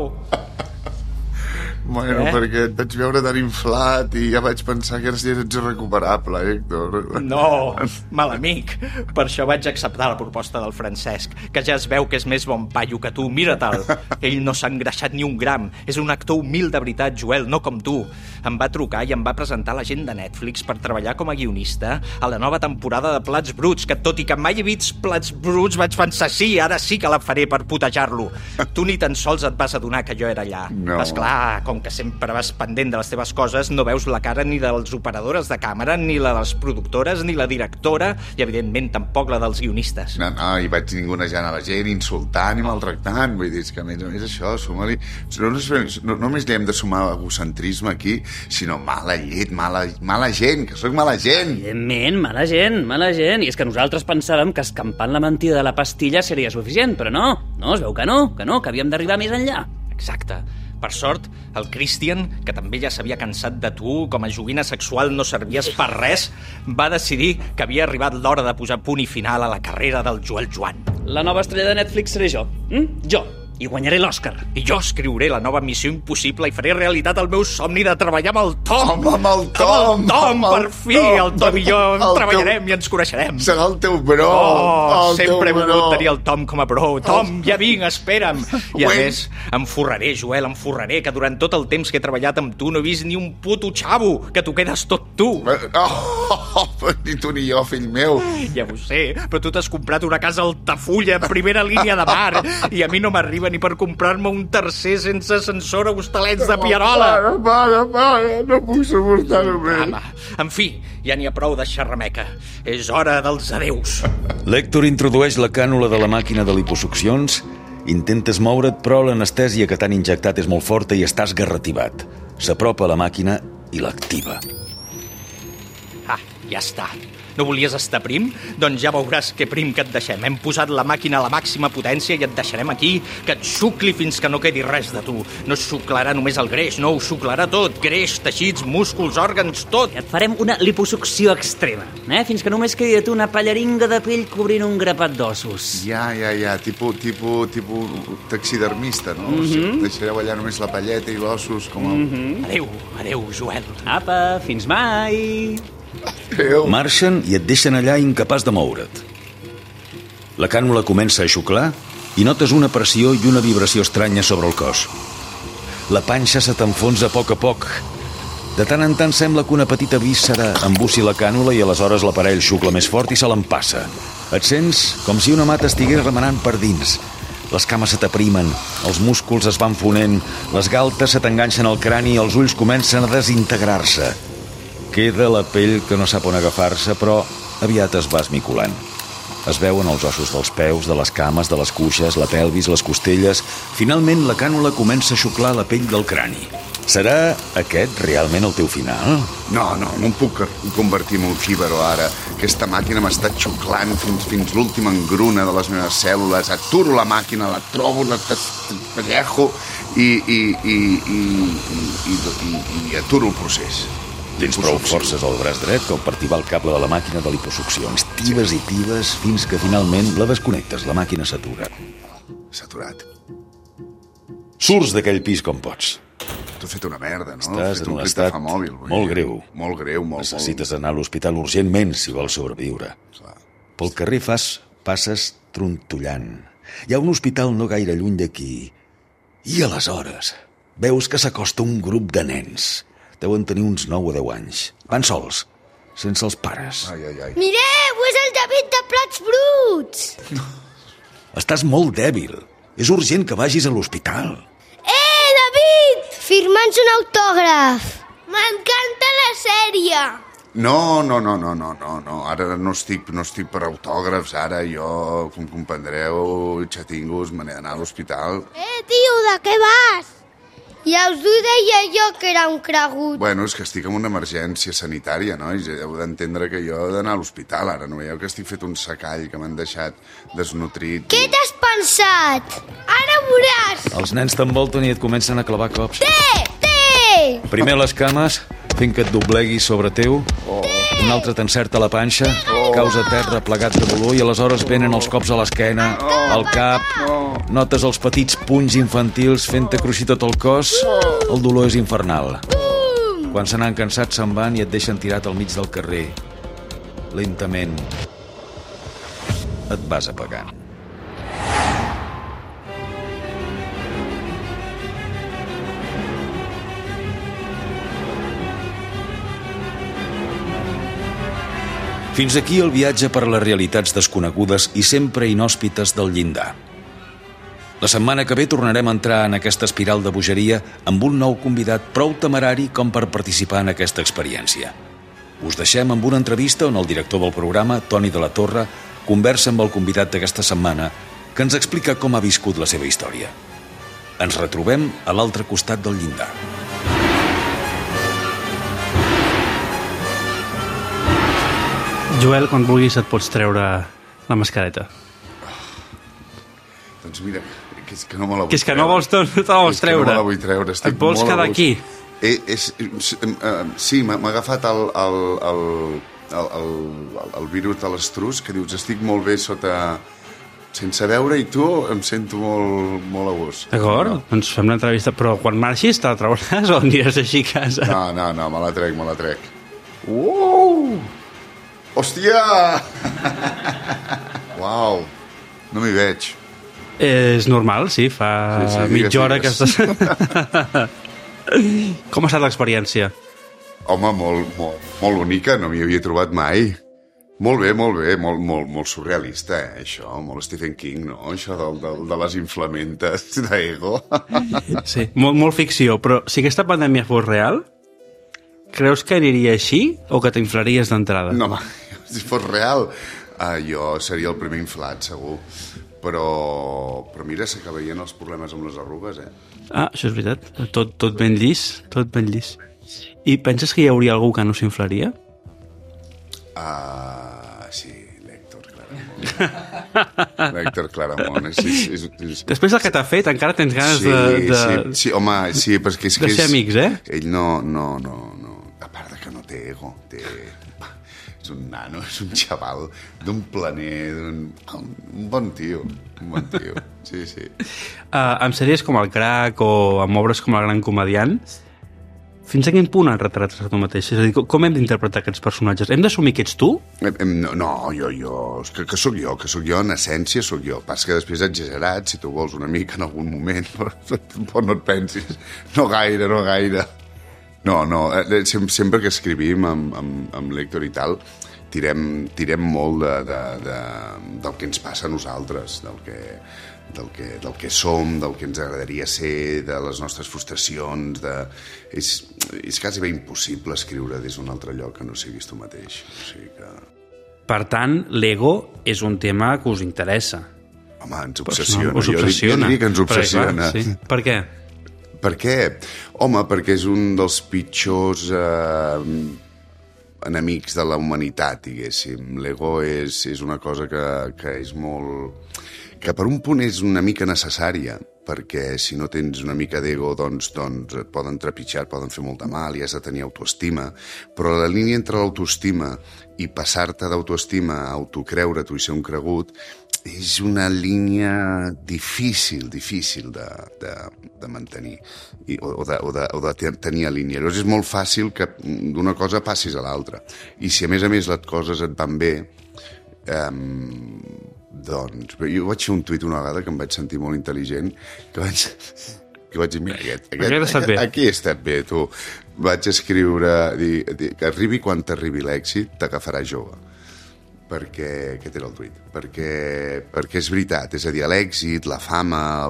Bueno, perquè et vaig veure tan inflat i ja vaig pensar que ets irrecuperable, Héctor. No, mal amic. Per això vaig acceptar la proposta del Francesc, que ja es veu que és més bon paio que tu. Mira-te'l. Ell no s'ha engreixat ni un gram. És un actor humil de veritat, Joel, no com tu. Em va trucar i em va presentar la gent de Netflix per treballar com a guionista a la nova temporada de Plats Bruts, que tot i que mai he vist Plats Bruts vaig pensar, sí, ara sí que la faré per putejar-lo. Tu ni tan sols et vas adonar que jo era allà. No. Esclar, com que sempre vas pendent de les teves coses, no veus la cara ni de les operadores de càmera, ni la de les productores, ni la directora, i evidentment tampoc la dels guionistes. No, i vaig ningunejant a la gent, insultant i maltractant. Vull dir, que a més això, suma-li... No només li hem de sumar egocentrisme aquí, sinó mala llet, mala gent, que sóc mala gent. Evidentment, mala gent. I és que nosaltres pensàvem que escampant la mentida de la pastilla seria suficient, però no, es veu que no, que havíem d'arribar més enllà. Exacte. Per sort, el Christian, que també ja s'havia cansat de tu, com a joguina sexual no servies per res, va decidir que havia arribat l'hora de posar punt i final a la carrera del Joel Joan. La nova estrella de Netflix seré jo. Jo. I guanyaré l'Òscar. I jo escriuré la nova Missió Impossible i faré realitat el meu somni de treballar amb el Tom. Amb el Tom! Per fi! El Tom i jo treballarem i ens coneixerem. Serà el teu bro! Sempre he volgut tenir el Tom com a bro. Tom, ja vinc, espera'm. I a més, em forraré, Joel, que durant tot el temps que he treballat amb tu no he vist ni un puto xavo, que t'ho quedes tot tu. Ni tu ni jo, fill meu. Ja ho sé, però tu t'has comprat una casa a Altafulla, primera línia de mar, i a mi no m'arriba ni per comprar-me un tercer sense ascensor a Hostalets de Pierola. Para, no puc suportar-ho més. En fi, ja n'hi ha prou de xerrameca. És hora dels adeus. L'Héctor introdueix la cànula de la màquina de liposuccions, intentes moure't, però l'anestèsia que t'han injectat és molt forta i estàs garrativat. S'apropa a la màquina i l'activa. Ja està. No volies estar prim? Doncs ja veuràs que prim que et deixem. Hem posat la màquina a la màxima potència i et deixarem aquí, que et xucli fins que no quedi res de tu. No es xuclarà només el greix, no, ho xuclarà tot. Greix, teixits, músculs, òrgans, tot. Et farem una liposucció extrema, fins que només quedi a tu una pallaringa de pell cobrint un grapat d'ossos. Ja, tipus taxidermista, no? O sigui, deixareu allà només la palleta i l'ossos com el... Adéu, Joel. Apa, fins mai. Marxen i et deixen allà incapaç de moure't. La cànula comença a xuclar i notes una pressió i una vibració estranya sobre el cos. La panxa se t'enfonsa a poc. De tant en tant sembla que una petita víscera embussi la cànula i aleshores l'aparell xucla més fort i se l'empassa. Et sents com si una mà t'estigués remenant per dins. Les cames se t'aprimen, els músculs es van fonent, les galtes se t'enganxen al crani i els ulls comencen a desintegrar-se. Queda la pell que no sap on agafar-se, però aviat es va esmicolant. Es veuen els ossos dels peus, de les cames, de les cuixes, la pelvis, les costelles. Finalment, la cànula comença a xuclar la pell del crani. Serà aquest realment el teu final? No em puc convertir en un jíbaro ara. Aquesta màquina m'està xuclant fins l'última engruna de les meves cèl·lules. Aturo la màquina, la trobo, la pellejo i aturo el procés. Tens prou forces al braç dret com per tibar el cable de la màquina de liposuccions. Tibes i tibes fins que finalment la desconnectes. La màquina s'atura. S'aturat. Surts d'aquell pis com pots. T'ho he fet una merda, no? Estàs en un estat molt greu. Molt greu. Necessites anar a l'hospital urgentment si vols sobreviure. Clar. Pel carrer passes trontollant. Hi ha un hospital no gaire lluny d'aquí. I aleshores veus que s'acosta un grup de nens. Deuen tenir uns 9 o 10 anys. Van sols, sense els pares. Ai. Mireu, és el David de Plats Bruts! Estàs molt dèbil. És urgent que vagis a l'hospital. David! Firma'ns un autògraf. M'encanta la sèrie. No. Ara no estic per autògrafs. Ara jo, com comprendreu, xatingos, me n'he d'anar a l'hospital. Tio, de què vas? Ja us ho deia jo que era un cregut. Bueno, és que estic en una emergència sanitària, no? I heu d'entendre que jo he d'anar a l'hospital. Ara no veieu que estic fet un secall, que m'han deixat desnutrit. Què t'has pensat? Ara veuràs. Els nens t'envolten i et comencen a clavar cops. Té! Primer les cames, fent que et dobleguis sobre teu. Un altre t'encerta la panxa, caus a terra plegat de dolor i aleshores venen els cops a l'esquena, al cap. Notes els petits punys infantils fent-te cruixir tot el cos. El dolor és infernal. Quan se n'han cansat se'n van i et deixen tirat al mig del carrer. Lentament et vas apagant. Fins aquí el viatge per les realitats desconegudes i sempre inhòspites del llindar. La setmana que ve tornarem a entrar en aquesta espiral de bogeria amb un nou convidat prou temerari com per participar en aquesta experiència. Us deixem amb una entrevista on el director del programa, Toni de la Torre, conversa amb el convidat d'aquesta setmana que ens explica com ha viscut la seva història. Ens retrobem a l'altre costat del llindar. Joel, quan vulguis et pots treure la mascareta. Doncs mira, que és que no me la vull treure. Que és que no te la vols treure. És que no me la vull treure, estic et vols quedar aquí. Sí, m'ha agafat el virus de l'estrus, que dius, estic molt bé sota... sense veure, i tu em sento molt a gust. D'acord, doncs fem l'entrevista, però quan marxis te la trauràs o aniràs així a casa? No, me la trec. Hòstia! Uau, no m'hi veig. És normal, sí, fa mitja hora que estàs... Com ha estat l'experiència? Home, molt bonica, no m'hi havia trobat mai. Molt bé, molt surrealista, això, molt Stephen King, no? Això de les inflamentes d'ego. Sí, molt ficció, però si aquesta pandèmia fos real, creus que aniria així o que t'inflaries d'entrada? No, si fos real, jo seria el primer inflat, segur. Però mira, s'acabarien els problemes amb les arrugues, això és veritat. Tot ben llis, tot ben llis. I penses que hi hauria algú que no s'inflaria? Sí, l'Héctor Claramunt. L'Héctor Claramunt. Després del que t'ha fet, encara tens ganes de... Sí, home, sí, perquè és que... De ser amics, Ell no. A part de que no té ego, és un nano, és un xaval d'un planer, un bon tio, sí. Amb sèries com El Crac o amb obres com El Gran Comediant, fins a quin punt el retrates a tu mateix? És a dir, com hem d'interpretar aquests personatges? Hem d'assumir que ets tu? No, jo, que sóc jo, en essència sóc jo. Pas que després exagerat, si tu vols una mica en algun moment, però no et pensis, no gaire. No, sempre que escrivim amb l'Héctor i tal, tirem molt del que ens passa a nosaltres, del que som, del que ens agradaria ser, de les nostres frustracions, és quasi bé impossible escriure des d'un altre lloc que no siguis tu mateix. O sigui que... Per tant, l'ego és un tema que us interessa. Home, ens obsessiona. Us obsessiona. Jo diria que ens obsessiona. Sí. Per què? Per què? Home, perquè és un dels pitjors enemics de la humanitat, diguéssim. L'ego és una cosa que és molt... que per un punt és una mica necessària, perquè si no tens una mica d'ego doncs et poden trepitjar, poden fer molt de mal i has de tenir autoestima, però la línia entre l'autoestima i passar-te d'autoestima a autocreure-t'ho i ser un cregut és una línia difícil de mantenir o de tenir a línia. Llavors és molt fàcil que d'una cosa passis a l'altra. I si a més les coses et van bé, doncs... Jo vaig fer un tuit una vegada que em vaig sentir molt intel·ligent, que vaig dir, mira, aquí he estat bé, tu. Vaig escriure, que arribi quan t'arribi l'èxit, t'agafarà jove. Perquè, aquest era el tuit, perquè és veritat, és a dir, l'èxit, la fama,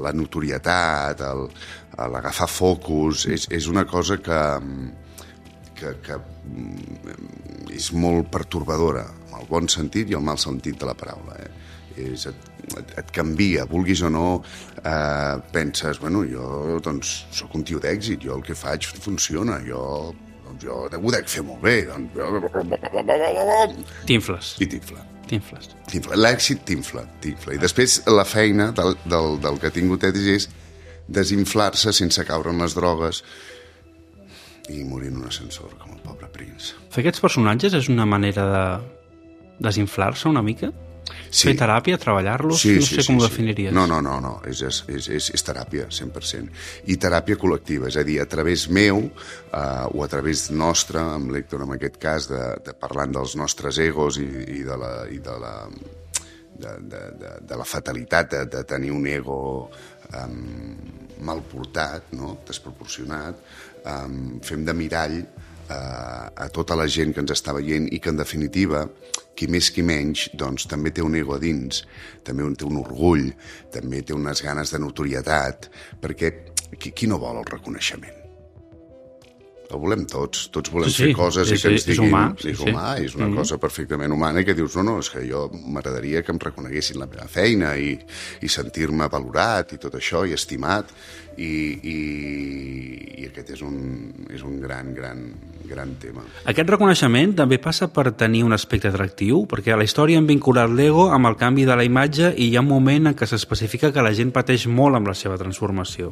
la notorietat, l'agafar focus, és una cosa que és molt pertorbadora, en el bon sentit i el mal sentit de la paraula. Et canvia, vulguis o no, penses, bueno, jo doncs soc un tio d'èxit, jo el que faig funciona, jo ho dec fer molt bé, T'infles. I t'infles. L'èxit t'infla. I després la feina del que ha tingut és desinflar-se sense caure en les drogues i morir en un ascensor, com el pobre Prince. Fer aquests personatges és una manera de desinflar-se una mica? Sí. Fer teràpia, treballar-los? No sé com ho definiries. No, és teràpia, 100%. I teràpia col·lectiva, és a dir, a través meu o a través nostre, amb l'Héctor en aquest cas, de parlant dels nostres egos i de la fatalitat de tenir un ego mal portat, no? Desproporcionat, fem de mirall a tota la gent que ens està veient i que, en definitiva, qui més qui menys, doncs també té un ego a dins, també té un orgull, també té unes ganes de notorietat, perquè qui no vol el reconeixement? El volem tots volem fer coses i que ens diguin... És humà, és una cosa perfectament humana i que dius, no, és que jo m'agradaria que em reconeguessin la meva feina i sentir-me valorat i tot això, i estimat, i aquest és un gran tema. Aquest reconeixement també passa per tenir un aspecte atractiu, perquè a la història hem vinculat l'ego amb el canvi de la imatge i hi ha un moment en què s'especifica que la gent pateix molt amb la seva transformació.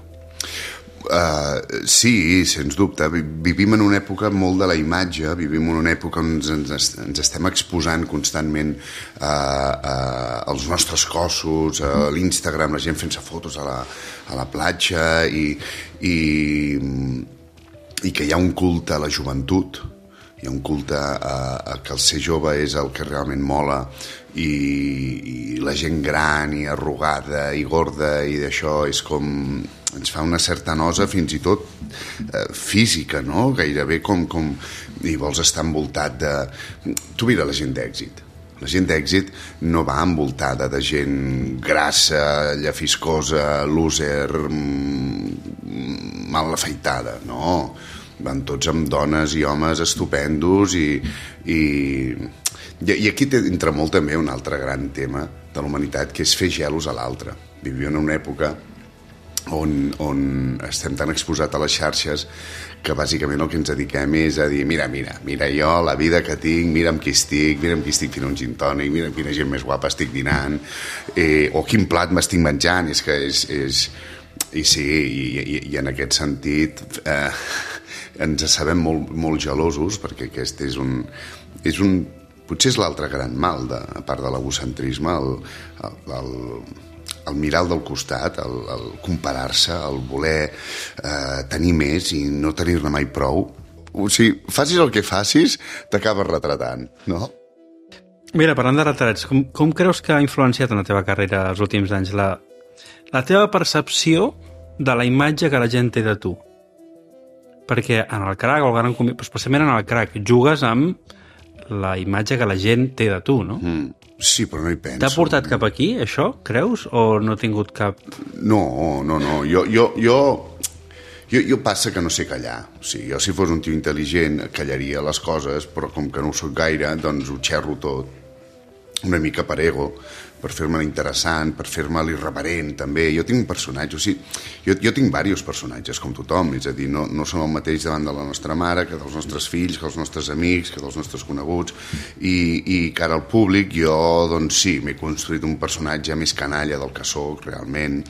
Sí, sens dubte. Vivim en una època molt de la imatge, vivim en una època on ens estem exposant constantment als nostres cossos, a l'Instagram, la gent fent-se fotos a la platja i que hi ha un culte a la joventut, hi ha un culte a que el ser jove és el que realment mola i la gent gran i arrugada i gorda i d'això és com... ens fa una certa nosa fins i tot física, no? Gairebé com... i vols estar envoltat de... Tu mira la gent d'èxit. La gent d'èxit no va envoltada de gent grassa, llafiscosa, loser, mal afeitada, no. Van tots amb dones i homes estupendos i aquí entra molt també un altre gran tema de la humanitat, que és fer gelos a l'altre. Vivim en una època on estem tan exposats a les xarxes que bàsicament el que ens dediquem és a dir mira jo, la vida que tinc, mira amb qui estic fent un gin tònic, mira amb quina gent més guapa estic dinant, o quin plat m'estic menjant, és que és... I sí, i en aquest sentit ens sabem molt gelosos, perquè aquest és un potser és l'altre gran mal, a part de l'egocentrisme, el mirar del costat, el comparar-se, el voler tenir més i no tenir-ne mai prou. O sigui, facis el que facis, t'acabes retratant, no? Mira, parlant de retrats, com creus que ha influenciat en la teva carrera els últims anys la teva percepció de la imatge que la gent té de tu? Perquè en el crack, o el gran especialment en el crack, jugues amb la imatge que la gent té de tu, no? Sí, però no hi penso. T'ha portat cap aquí, això, creus? O no ha tingut cap... No. Jo passa que no sé callar. O sigui, jo si fos un tio intel·ligent callaria les coses, però com que no ho soc gaire, doncs ho xerro tot. Una mica per ego, per fer-me interessant, per fer-me l'irreverent, també. Jo tinc un personatge, o sigui, jo tinc diversos personatges, com tothom, és a dir, no som el mateix davant de la nostra mare, que dels nostres fills, que dels nostres amics, que dels nostres coneguts, i cara al públic jo, doncs sí, m'he construït un personatge més canalla del que soc, realment,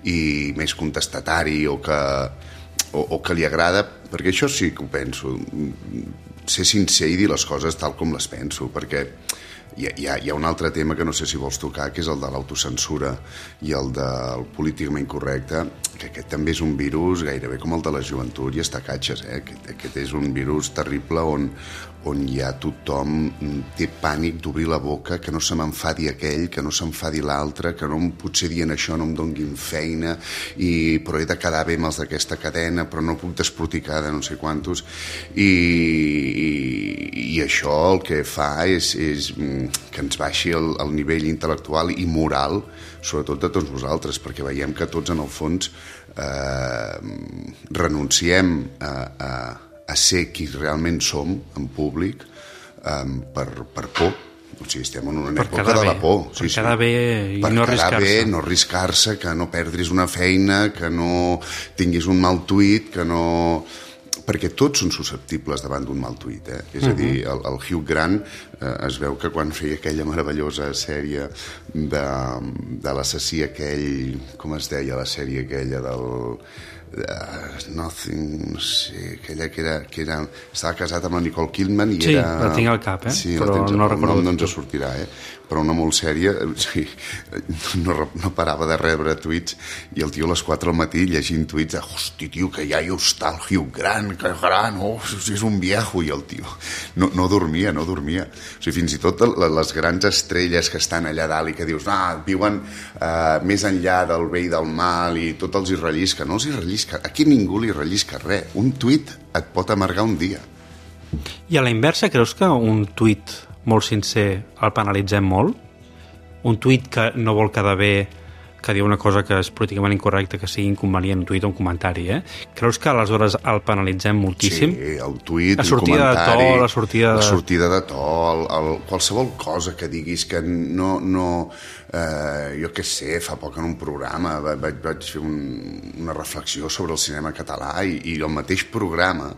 i més contestatari, o que li agrada, perquè això sí que ho penso, ser sincer i dir les coses tal com les penso, perquè hi ha un altre tema que no sé si vols tocar, que és el de l'autocensura i el del políticament correcte, que aquest també és un virus gairebé com el de la joventut i està catxes, Aquest és un virus terrible on ja tothom té pànic d'obrir la boca, que no se m'enfadi aquell, que no s'enfadi l'altre, que no potser dient això no em donguin feina, però he de quedar bé amb els d'aquesta cadena, però no puc desproticar de no sé quantos, i això el que fa és que ens baixi el nivell intel·lectual i moral, sobretot de tots vosaltres, perquè veiem que tots en el fons renunciem a ser qui realment som en públic per por. O sigui, estem en una època de la por. Per quedar bé i no arriscar-se. Per quedar bé, no arriscar-se, que no perdris una feina, que no tinguis un mal tuit, que no... Perquè tots són susceptibles davant d'un mal tuit, És a dir, el Hugh Grant es veu que quan feia aquella meravellosa sèrie de l'assassí aquell, com es deia la sèrie aquella del... Nothing, no sé, aquella que era estava casat amb la Nicole Kidman i era... Sí, la tinc al cap, sí, però no recordo. No ens sortirà, però una molt sèria, no parava de rebre tuits i el tio a les 4 del matí llegint tuits de hosti, tio, que ja hi està el Hugh Grant, que gran, és un viejo, i el tio no dormia. O sigui, fins i tot les grans estrelles que estan allà dalt i que dius, viuen més enllà del bé i del mal i tot els hi rellisca, no els hi rellisca. Aquí ningú li rellisca res. Un tuit et pot amargar un dia. I a la inversa, creus que un tuit molt sincer el penalitzem molt? Un tuit que no vol quedar bé, que diu una cosa que és políticament incorrecta, que sigui inconvenient, un tuit o un comentari, Creus que aleshores el penalitzem moltíssim? Sí, el tuit, un comentari... La sortida de to, qualsevol cosa que diguis que no jo què sé, fa poc en un programa vaig fer una reflexió sobre el cinema català i el mateix programa,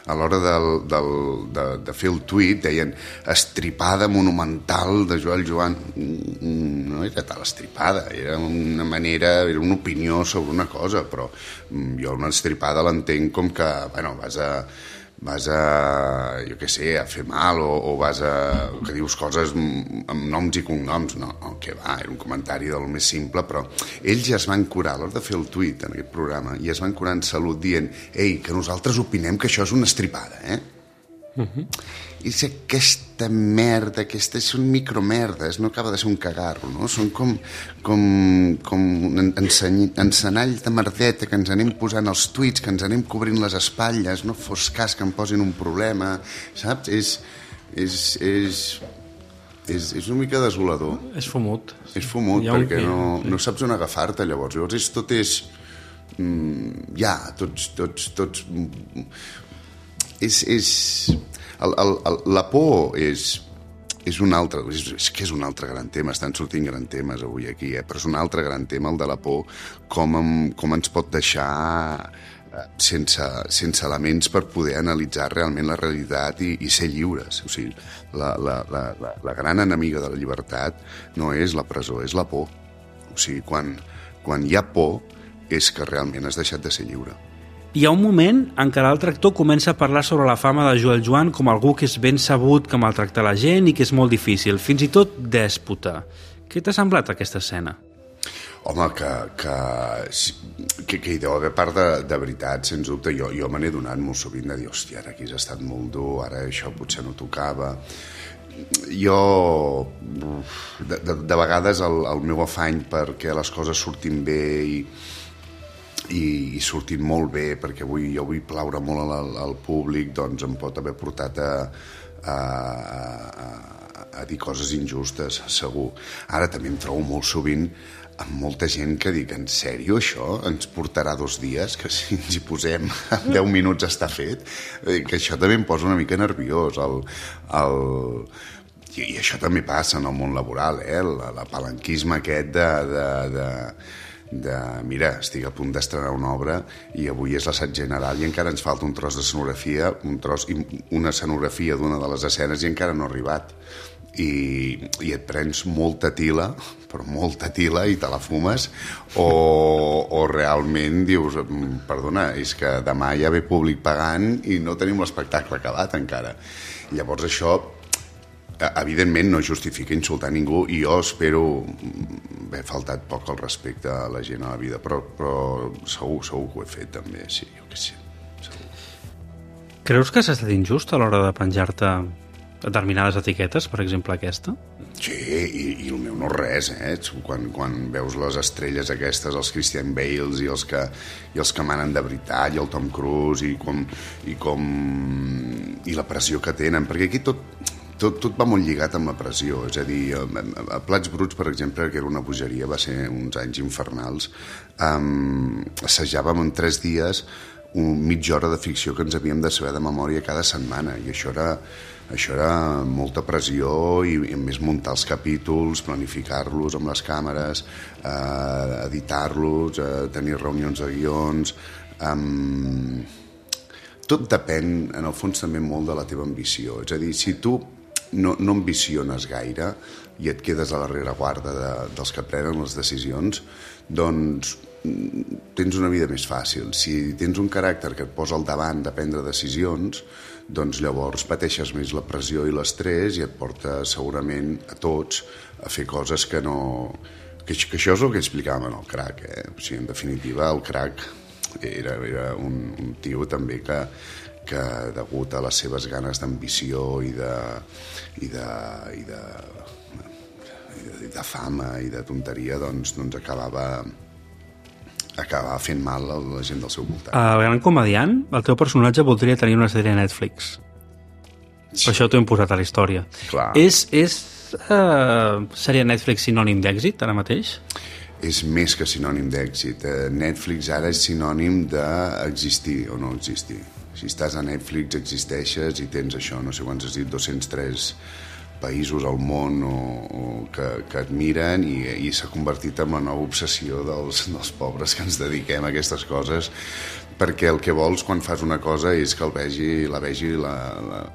a l'hora de fer el tuit, deien estripada monumental de Joel Joan. No era tal estripada, era una manera, era una opinió sobre una cosa, però jo una estripada l'entenc com que, vas a, jo què sé, a fer mal o vas a... que dius coses amb noms i cognoms. No, que va, era un comentari del més simple, però ells ja es van curar a l'hora de fer el tuit en aquest programa i es van curar en salut dient que nosaltres opinem que això és una estripada, I és aquesta merda, aquestes són micromerdes, no acaba de ser un cagarro, no? Són com encenalls de merdeta que ens anem posant els tuits, que ens anem cobrint les espatlles, no fos cas que em posin un problema, saps? És una mica desolador. És fumut. És fumut, perquè no saps on agafar-te, llavors. Llavors tot és... tots... La por és un altre, és que és un altre gran tema, estan sortint grans temes avui aquí, però és un altre gran tema, el de la por, com ens pot deixar sense elements per poder analitzar realment la realitat i ser lliures. O sigui, la gran enemiga de la llibertat no és la presó, és la por. O sigui, quan hi ha por és que realment has deixat de ser lliure. Hi ha un moment en què l'altre actor comença a parlar sobre la fama de Joel Joan com algú que és ben sabut, que maltracta la gent i que és molt difícil, fins i tot dèspota. Què t'ha semblat aquesta escena? Home, que hi deu haver part de veritat, sens dubte. Jo me n'he donat molt sovint de dir, hòstia, ara aquí has estat molt dur, ara això potser no tocava. Jo, de vegades, el meu afany perquè les coses surtin bé i sortint molt bé, perquè jo vull plaure molt al públic, doncs em pot haver portat a dir coses injustes, segur. Ara també em trobo molt sovint amb molta gent que dic, en sèrio, això ens portarà 2 dies, que si ens hi posem en 10 minuts està fet, que això també em posa una mica nerviós. I això també passa en el món laboral, l'apalanquisme aquest de mira, estic a punt d'estrenar una obra i avui és l'assaig general i encara ens falta un tros de escenografia, una escenografia d'una de les escenes i encara no ha arribat. I et prens molta tila, però molta tila, i te la fumes, o realment dius, perdona, és que demà hi ha ve públic pagant i no tenim l'espectacle acabat encara. Llavors això, evidentment, no justifica insultar ningú i jo espero haver faltat poc al respecte a la gent a la vida, però segur que ho he fet també, sí, jo què sé, segur. Creus que s'ha estat injust a l'hora de penjar-te determinades etiquetes, per exemple aquesta? Sí, i el meu no res, quan veus les estrelles aquestes, els Christian Bales i els que manen de veritat, i el Tom Cruise, i la pressió que tenen, perquè aquí tot va molt lligat amb la pressió, és a dir, a Plats Bruts, per exemple, que era una bogeria, va ser uns anys infernals, assajàvem en 3 dies mitja hora de ficció que ens havíem de saber de memòria cada setmana, i això era molta pressió, i a més muntar els capítols, planificar-los amb les càmeres, editar-los, tenir reunions de guions. Tot depèn, en el fons, també molt de la teva ambició. És a dir, si tu no ambiciones gaire i et quedes a la rereguarda dels que prenen les decisions, doncs tens una vida més fàcil. Si tens un caràcter que et posa al davant de prendre decisions, doncs llavors pateixes més la pressió i l'estrès i et porta segurament a tots a fer coses que no... Que això és el que explicàvem en el Crac, O sigui, en definitiva, el Crac era un tio també que degut a les seves ganes d'ambició i de fama i de tonteria, doncs acabava fent mal a la gent del seu voltant. El gran comediant, el teu personatge voldria tenir una sèrie a Netflix. Per això t'ho hem posat a la història. Clar. És sèrie Netflix sinònim d'èxit, ara mateix? És més que sinònim d'èxit. Netflix ara és sinònim d'existir o no existir. Si estàs a Netflix existeixes i tens això, no sé quants has dit, 203 països al món que et miren i s'ha convertit en la nova obsessió dels pobres que ens dediquem a aquestes coses, perquè el que vols quan fas una cosa és que la vegi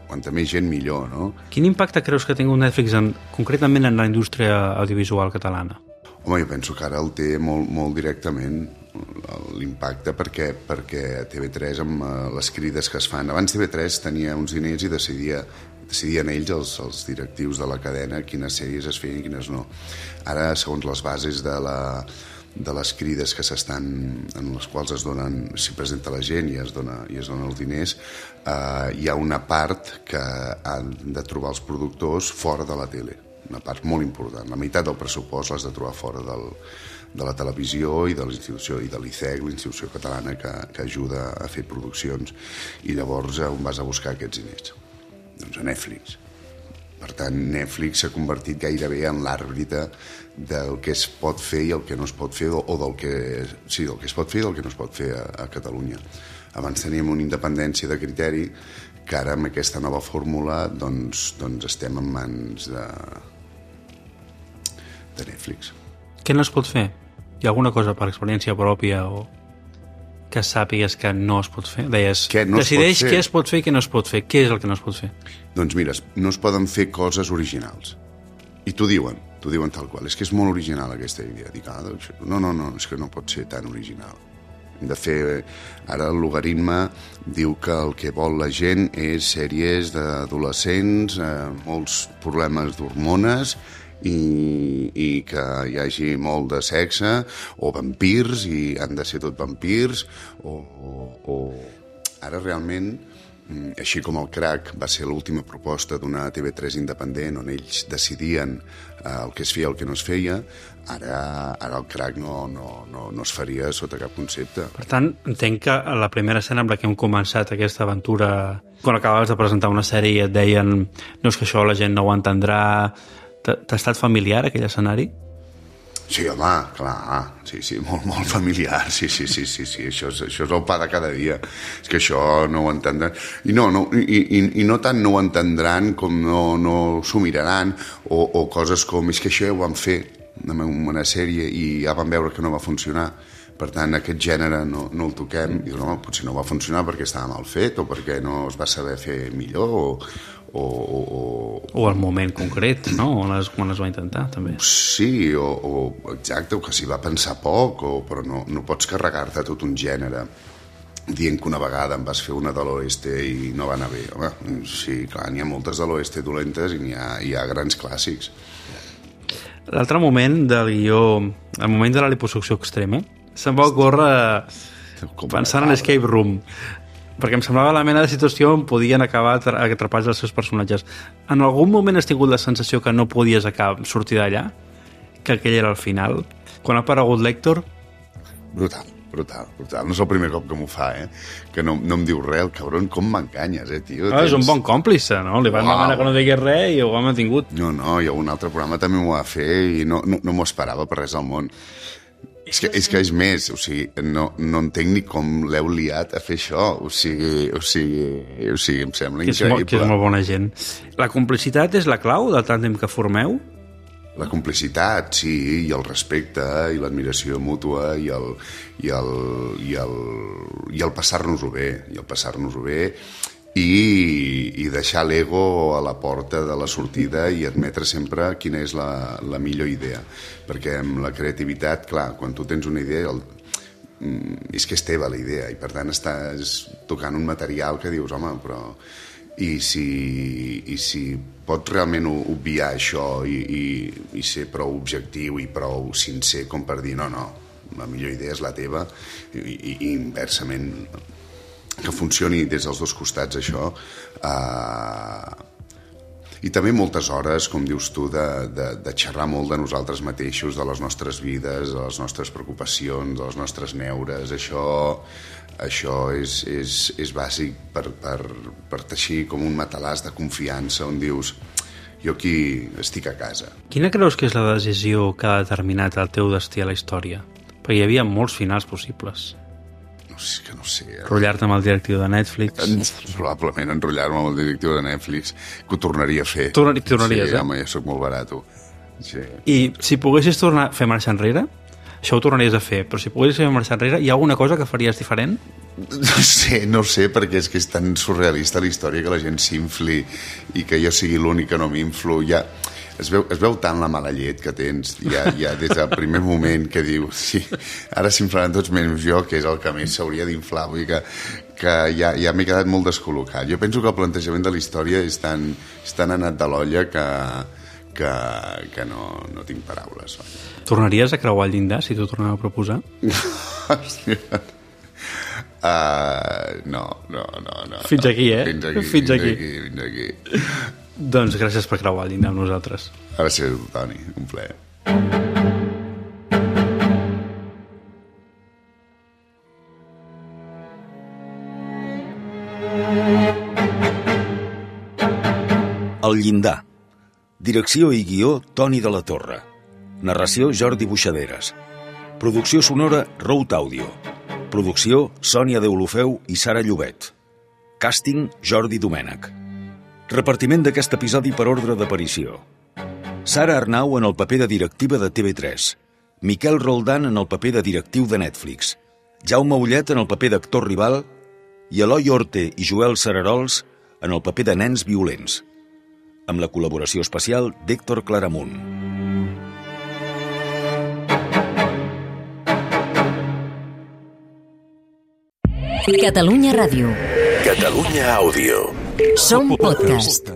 quanta més gent millor, no? Quin impacte creus que ha tingut Netflix concretament en la indústria audiovisual catalana? Home, jo penso que ara el té molt directament l'impacte perquè a TV3 amb les crides que es fan, abans TV3 tenia uns diners i decidien ells, els directius de la cadena, quines sèries es feien i quines no. Ara, segons les bases de les crides que en les quals s'hi presenta la gent i es donen els diners, hi ha una part que han de trobar els productors fora de la tele, una part molt important. La meitat del pressupost l'has de trobar fora de la televisió i de l'institució i de l'ICEC, l'institució catalana que ajuda a fer produccions, i llavors on vas a buscar aquests diners? Doncs a Netflix. Per tant, Netflix s'ha convertit gairebé en l'àrbitre del que es pot fer i el que no es pot fer, o del que es pot fer i del que no es pot fer a Catalunya. Abans teníem una independència de criteri que ara amb aquesta nova fórmula doncs estem en mans de Netflix. Què no es pot fer? Hi ha alguna cosa per experiència pròpia o que sàpigues que no es pot fer? Deies, decideix què es pot fer i què no es pot fer. Què és el que no es pot fer? Doncs mira, no es poden fer coses originals. I t'ho diuen tal qual. És que és molt original aquesta idea. Dic, no, és que no pot ser tan original. De fer, ara el logaritme diu que el que vol la gent és sèries d'adolescents, molts problemes d'hormones, i que hi hagi molt de sexe, o vampirs, i han de ser tot vampirs, o... Ara realment així com el Crac va ser l'última proposta d'una TV3 independent on ells decidien el que es feia i el que no es feia, ara el Crac no es faria sota cap concepte. Per tant, entenc que a la primera escena amb la que hem començat aquesta aventura, quan acabaves de presentar una sèrie i et deien no és que això la gent no ho entendrà, t'ha estat familiar aquell escenari? Sí, home, clar, sí, molt familiar, sí, això és el pa de cada dia, és que això no ho entendran, i no tant no ho entendran com no s'ho miraran, o coses com, és que això ja ho vam fer en una sèrie i ja vam veure que no va funcionar, per tant aquest gènere no el toquem, i no, potser no va funcionar perquè estava mal fet, o perquè no es va saber fer millor, o el moment concret, no? Quan es va intentar, també. Sí, exacte, o que s'hi va pensar poc, però no pots carregar-te tot un gènere dient que una vegada em vas fer una de l'Oeste i no va anar bé. Home, sí, clar, n'hi ha moltes de l'Oeste dolentes i hi ha grans clàssics. L'altre moment del guió, el moment de la liposucció extrema, se'm va ocórrer pensant en Escape Room, perquè em semblava la mena de situació on podien acabar atrapats els seus personatges. En algun moment has tingut la sensació que no podies sortir d'allà? Que aquell era el final? Quan ha aparegut l'Héctor? Brutal. No és el primer cop que m'ho fa, que no em diu res, el cabron, com m'enganyes, tio. És un bon còmplice, no? Li van demanar que no digués res i ho ha mantingut. No, i un altre programa també m'ho va fer i no m'ho esperava per res al món. És que és més, o sigui, no entenc ni com l'heu liat a fer això, o sigui, em sembla increïble. Que és molt bona gent. La complicitat és la clau del tàndem que formeu? La complicitat, sí, i el respecte, i l'admiració mútua, i el passar-nos-ho bé, i deixar l'ego a la porta de la sortida i admetre sempre quina és la millor idea, perquè amb la creativitat, clar, quan tu tens una idea és que és teva la idea i per tant estàs tocant un material que dius, home, però i si pots realment obviar això i ser prou objectiu i prou sincer com per dir no, la millor idea és la teva i inversament que funcioni des dels dos costats això, i també moltes hores, com dius tu, de xerrar molt de nosaltres mateixos, de les nostres vides, de les nostres preocupacions, de les nostres neures. Això és bàsic per teixir com un matalàs de confiança on dius jo aquí estic a casa. Quina creus que és la decisió que ha determinat el teu destí a la història? Perquè hi havia molts finals possibles. És que no sé. Enrotllar-te amb el directiu de Netflix. Probablement enrotllar-me amb el directiu de Netflix, que ho tornaria a fer. Tornaries, sí, home, ja soc molt barat. Sí. I si poguessis tornar a fer marxa enrere, això ho tornaries a fer, però si poguessis fer marxa enrere, hi ha alguna cosa que faries diferent? No sé, perquè és que és tan surrealista la història que la gent s'infli i que jo sigui l'únic que no m'inflo. Ja es veu tant la mala llet que tens ja des del primer moment que dius sí, ara s'inflaran tots menys jo, que és el que més s'hauria d'inflar. Vull dir que ja m'he quedat molt descol·locat. Jo penso que el plantejament de la història és tan anat de l'olla que no tinc paraules. Tornaries a creuar el llindar si t'ho tornava a proposar? No. Fins aquí, Fins aquí. Doncs gràcies per creuar el llindar amb nosaltres. Gràcies, Toni, un plaer. El llindar. Direcció i guió, Toni de la Torre. Narració, Jordi Buixaderes. Producció sonora, Rout Audio. Producció, Sònia Deulofeu i Sara Llobet. Càsting, Jordi Domènech. Repartiment d'aquest episodi per ordre d'aparició. Sara Arnau en el paper de directiva de TV3. Miquel Roldán en el paper de directiu de Netflix. Jaume Ullet en el paper d'actor rival i Eloi Orte i Joel Cerarols en el paper de nens violents. Amb la col·laboració especial d'Héctor Claramunt. Catalunya Ràdio. Catalunya Àudio. Som podcast.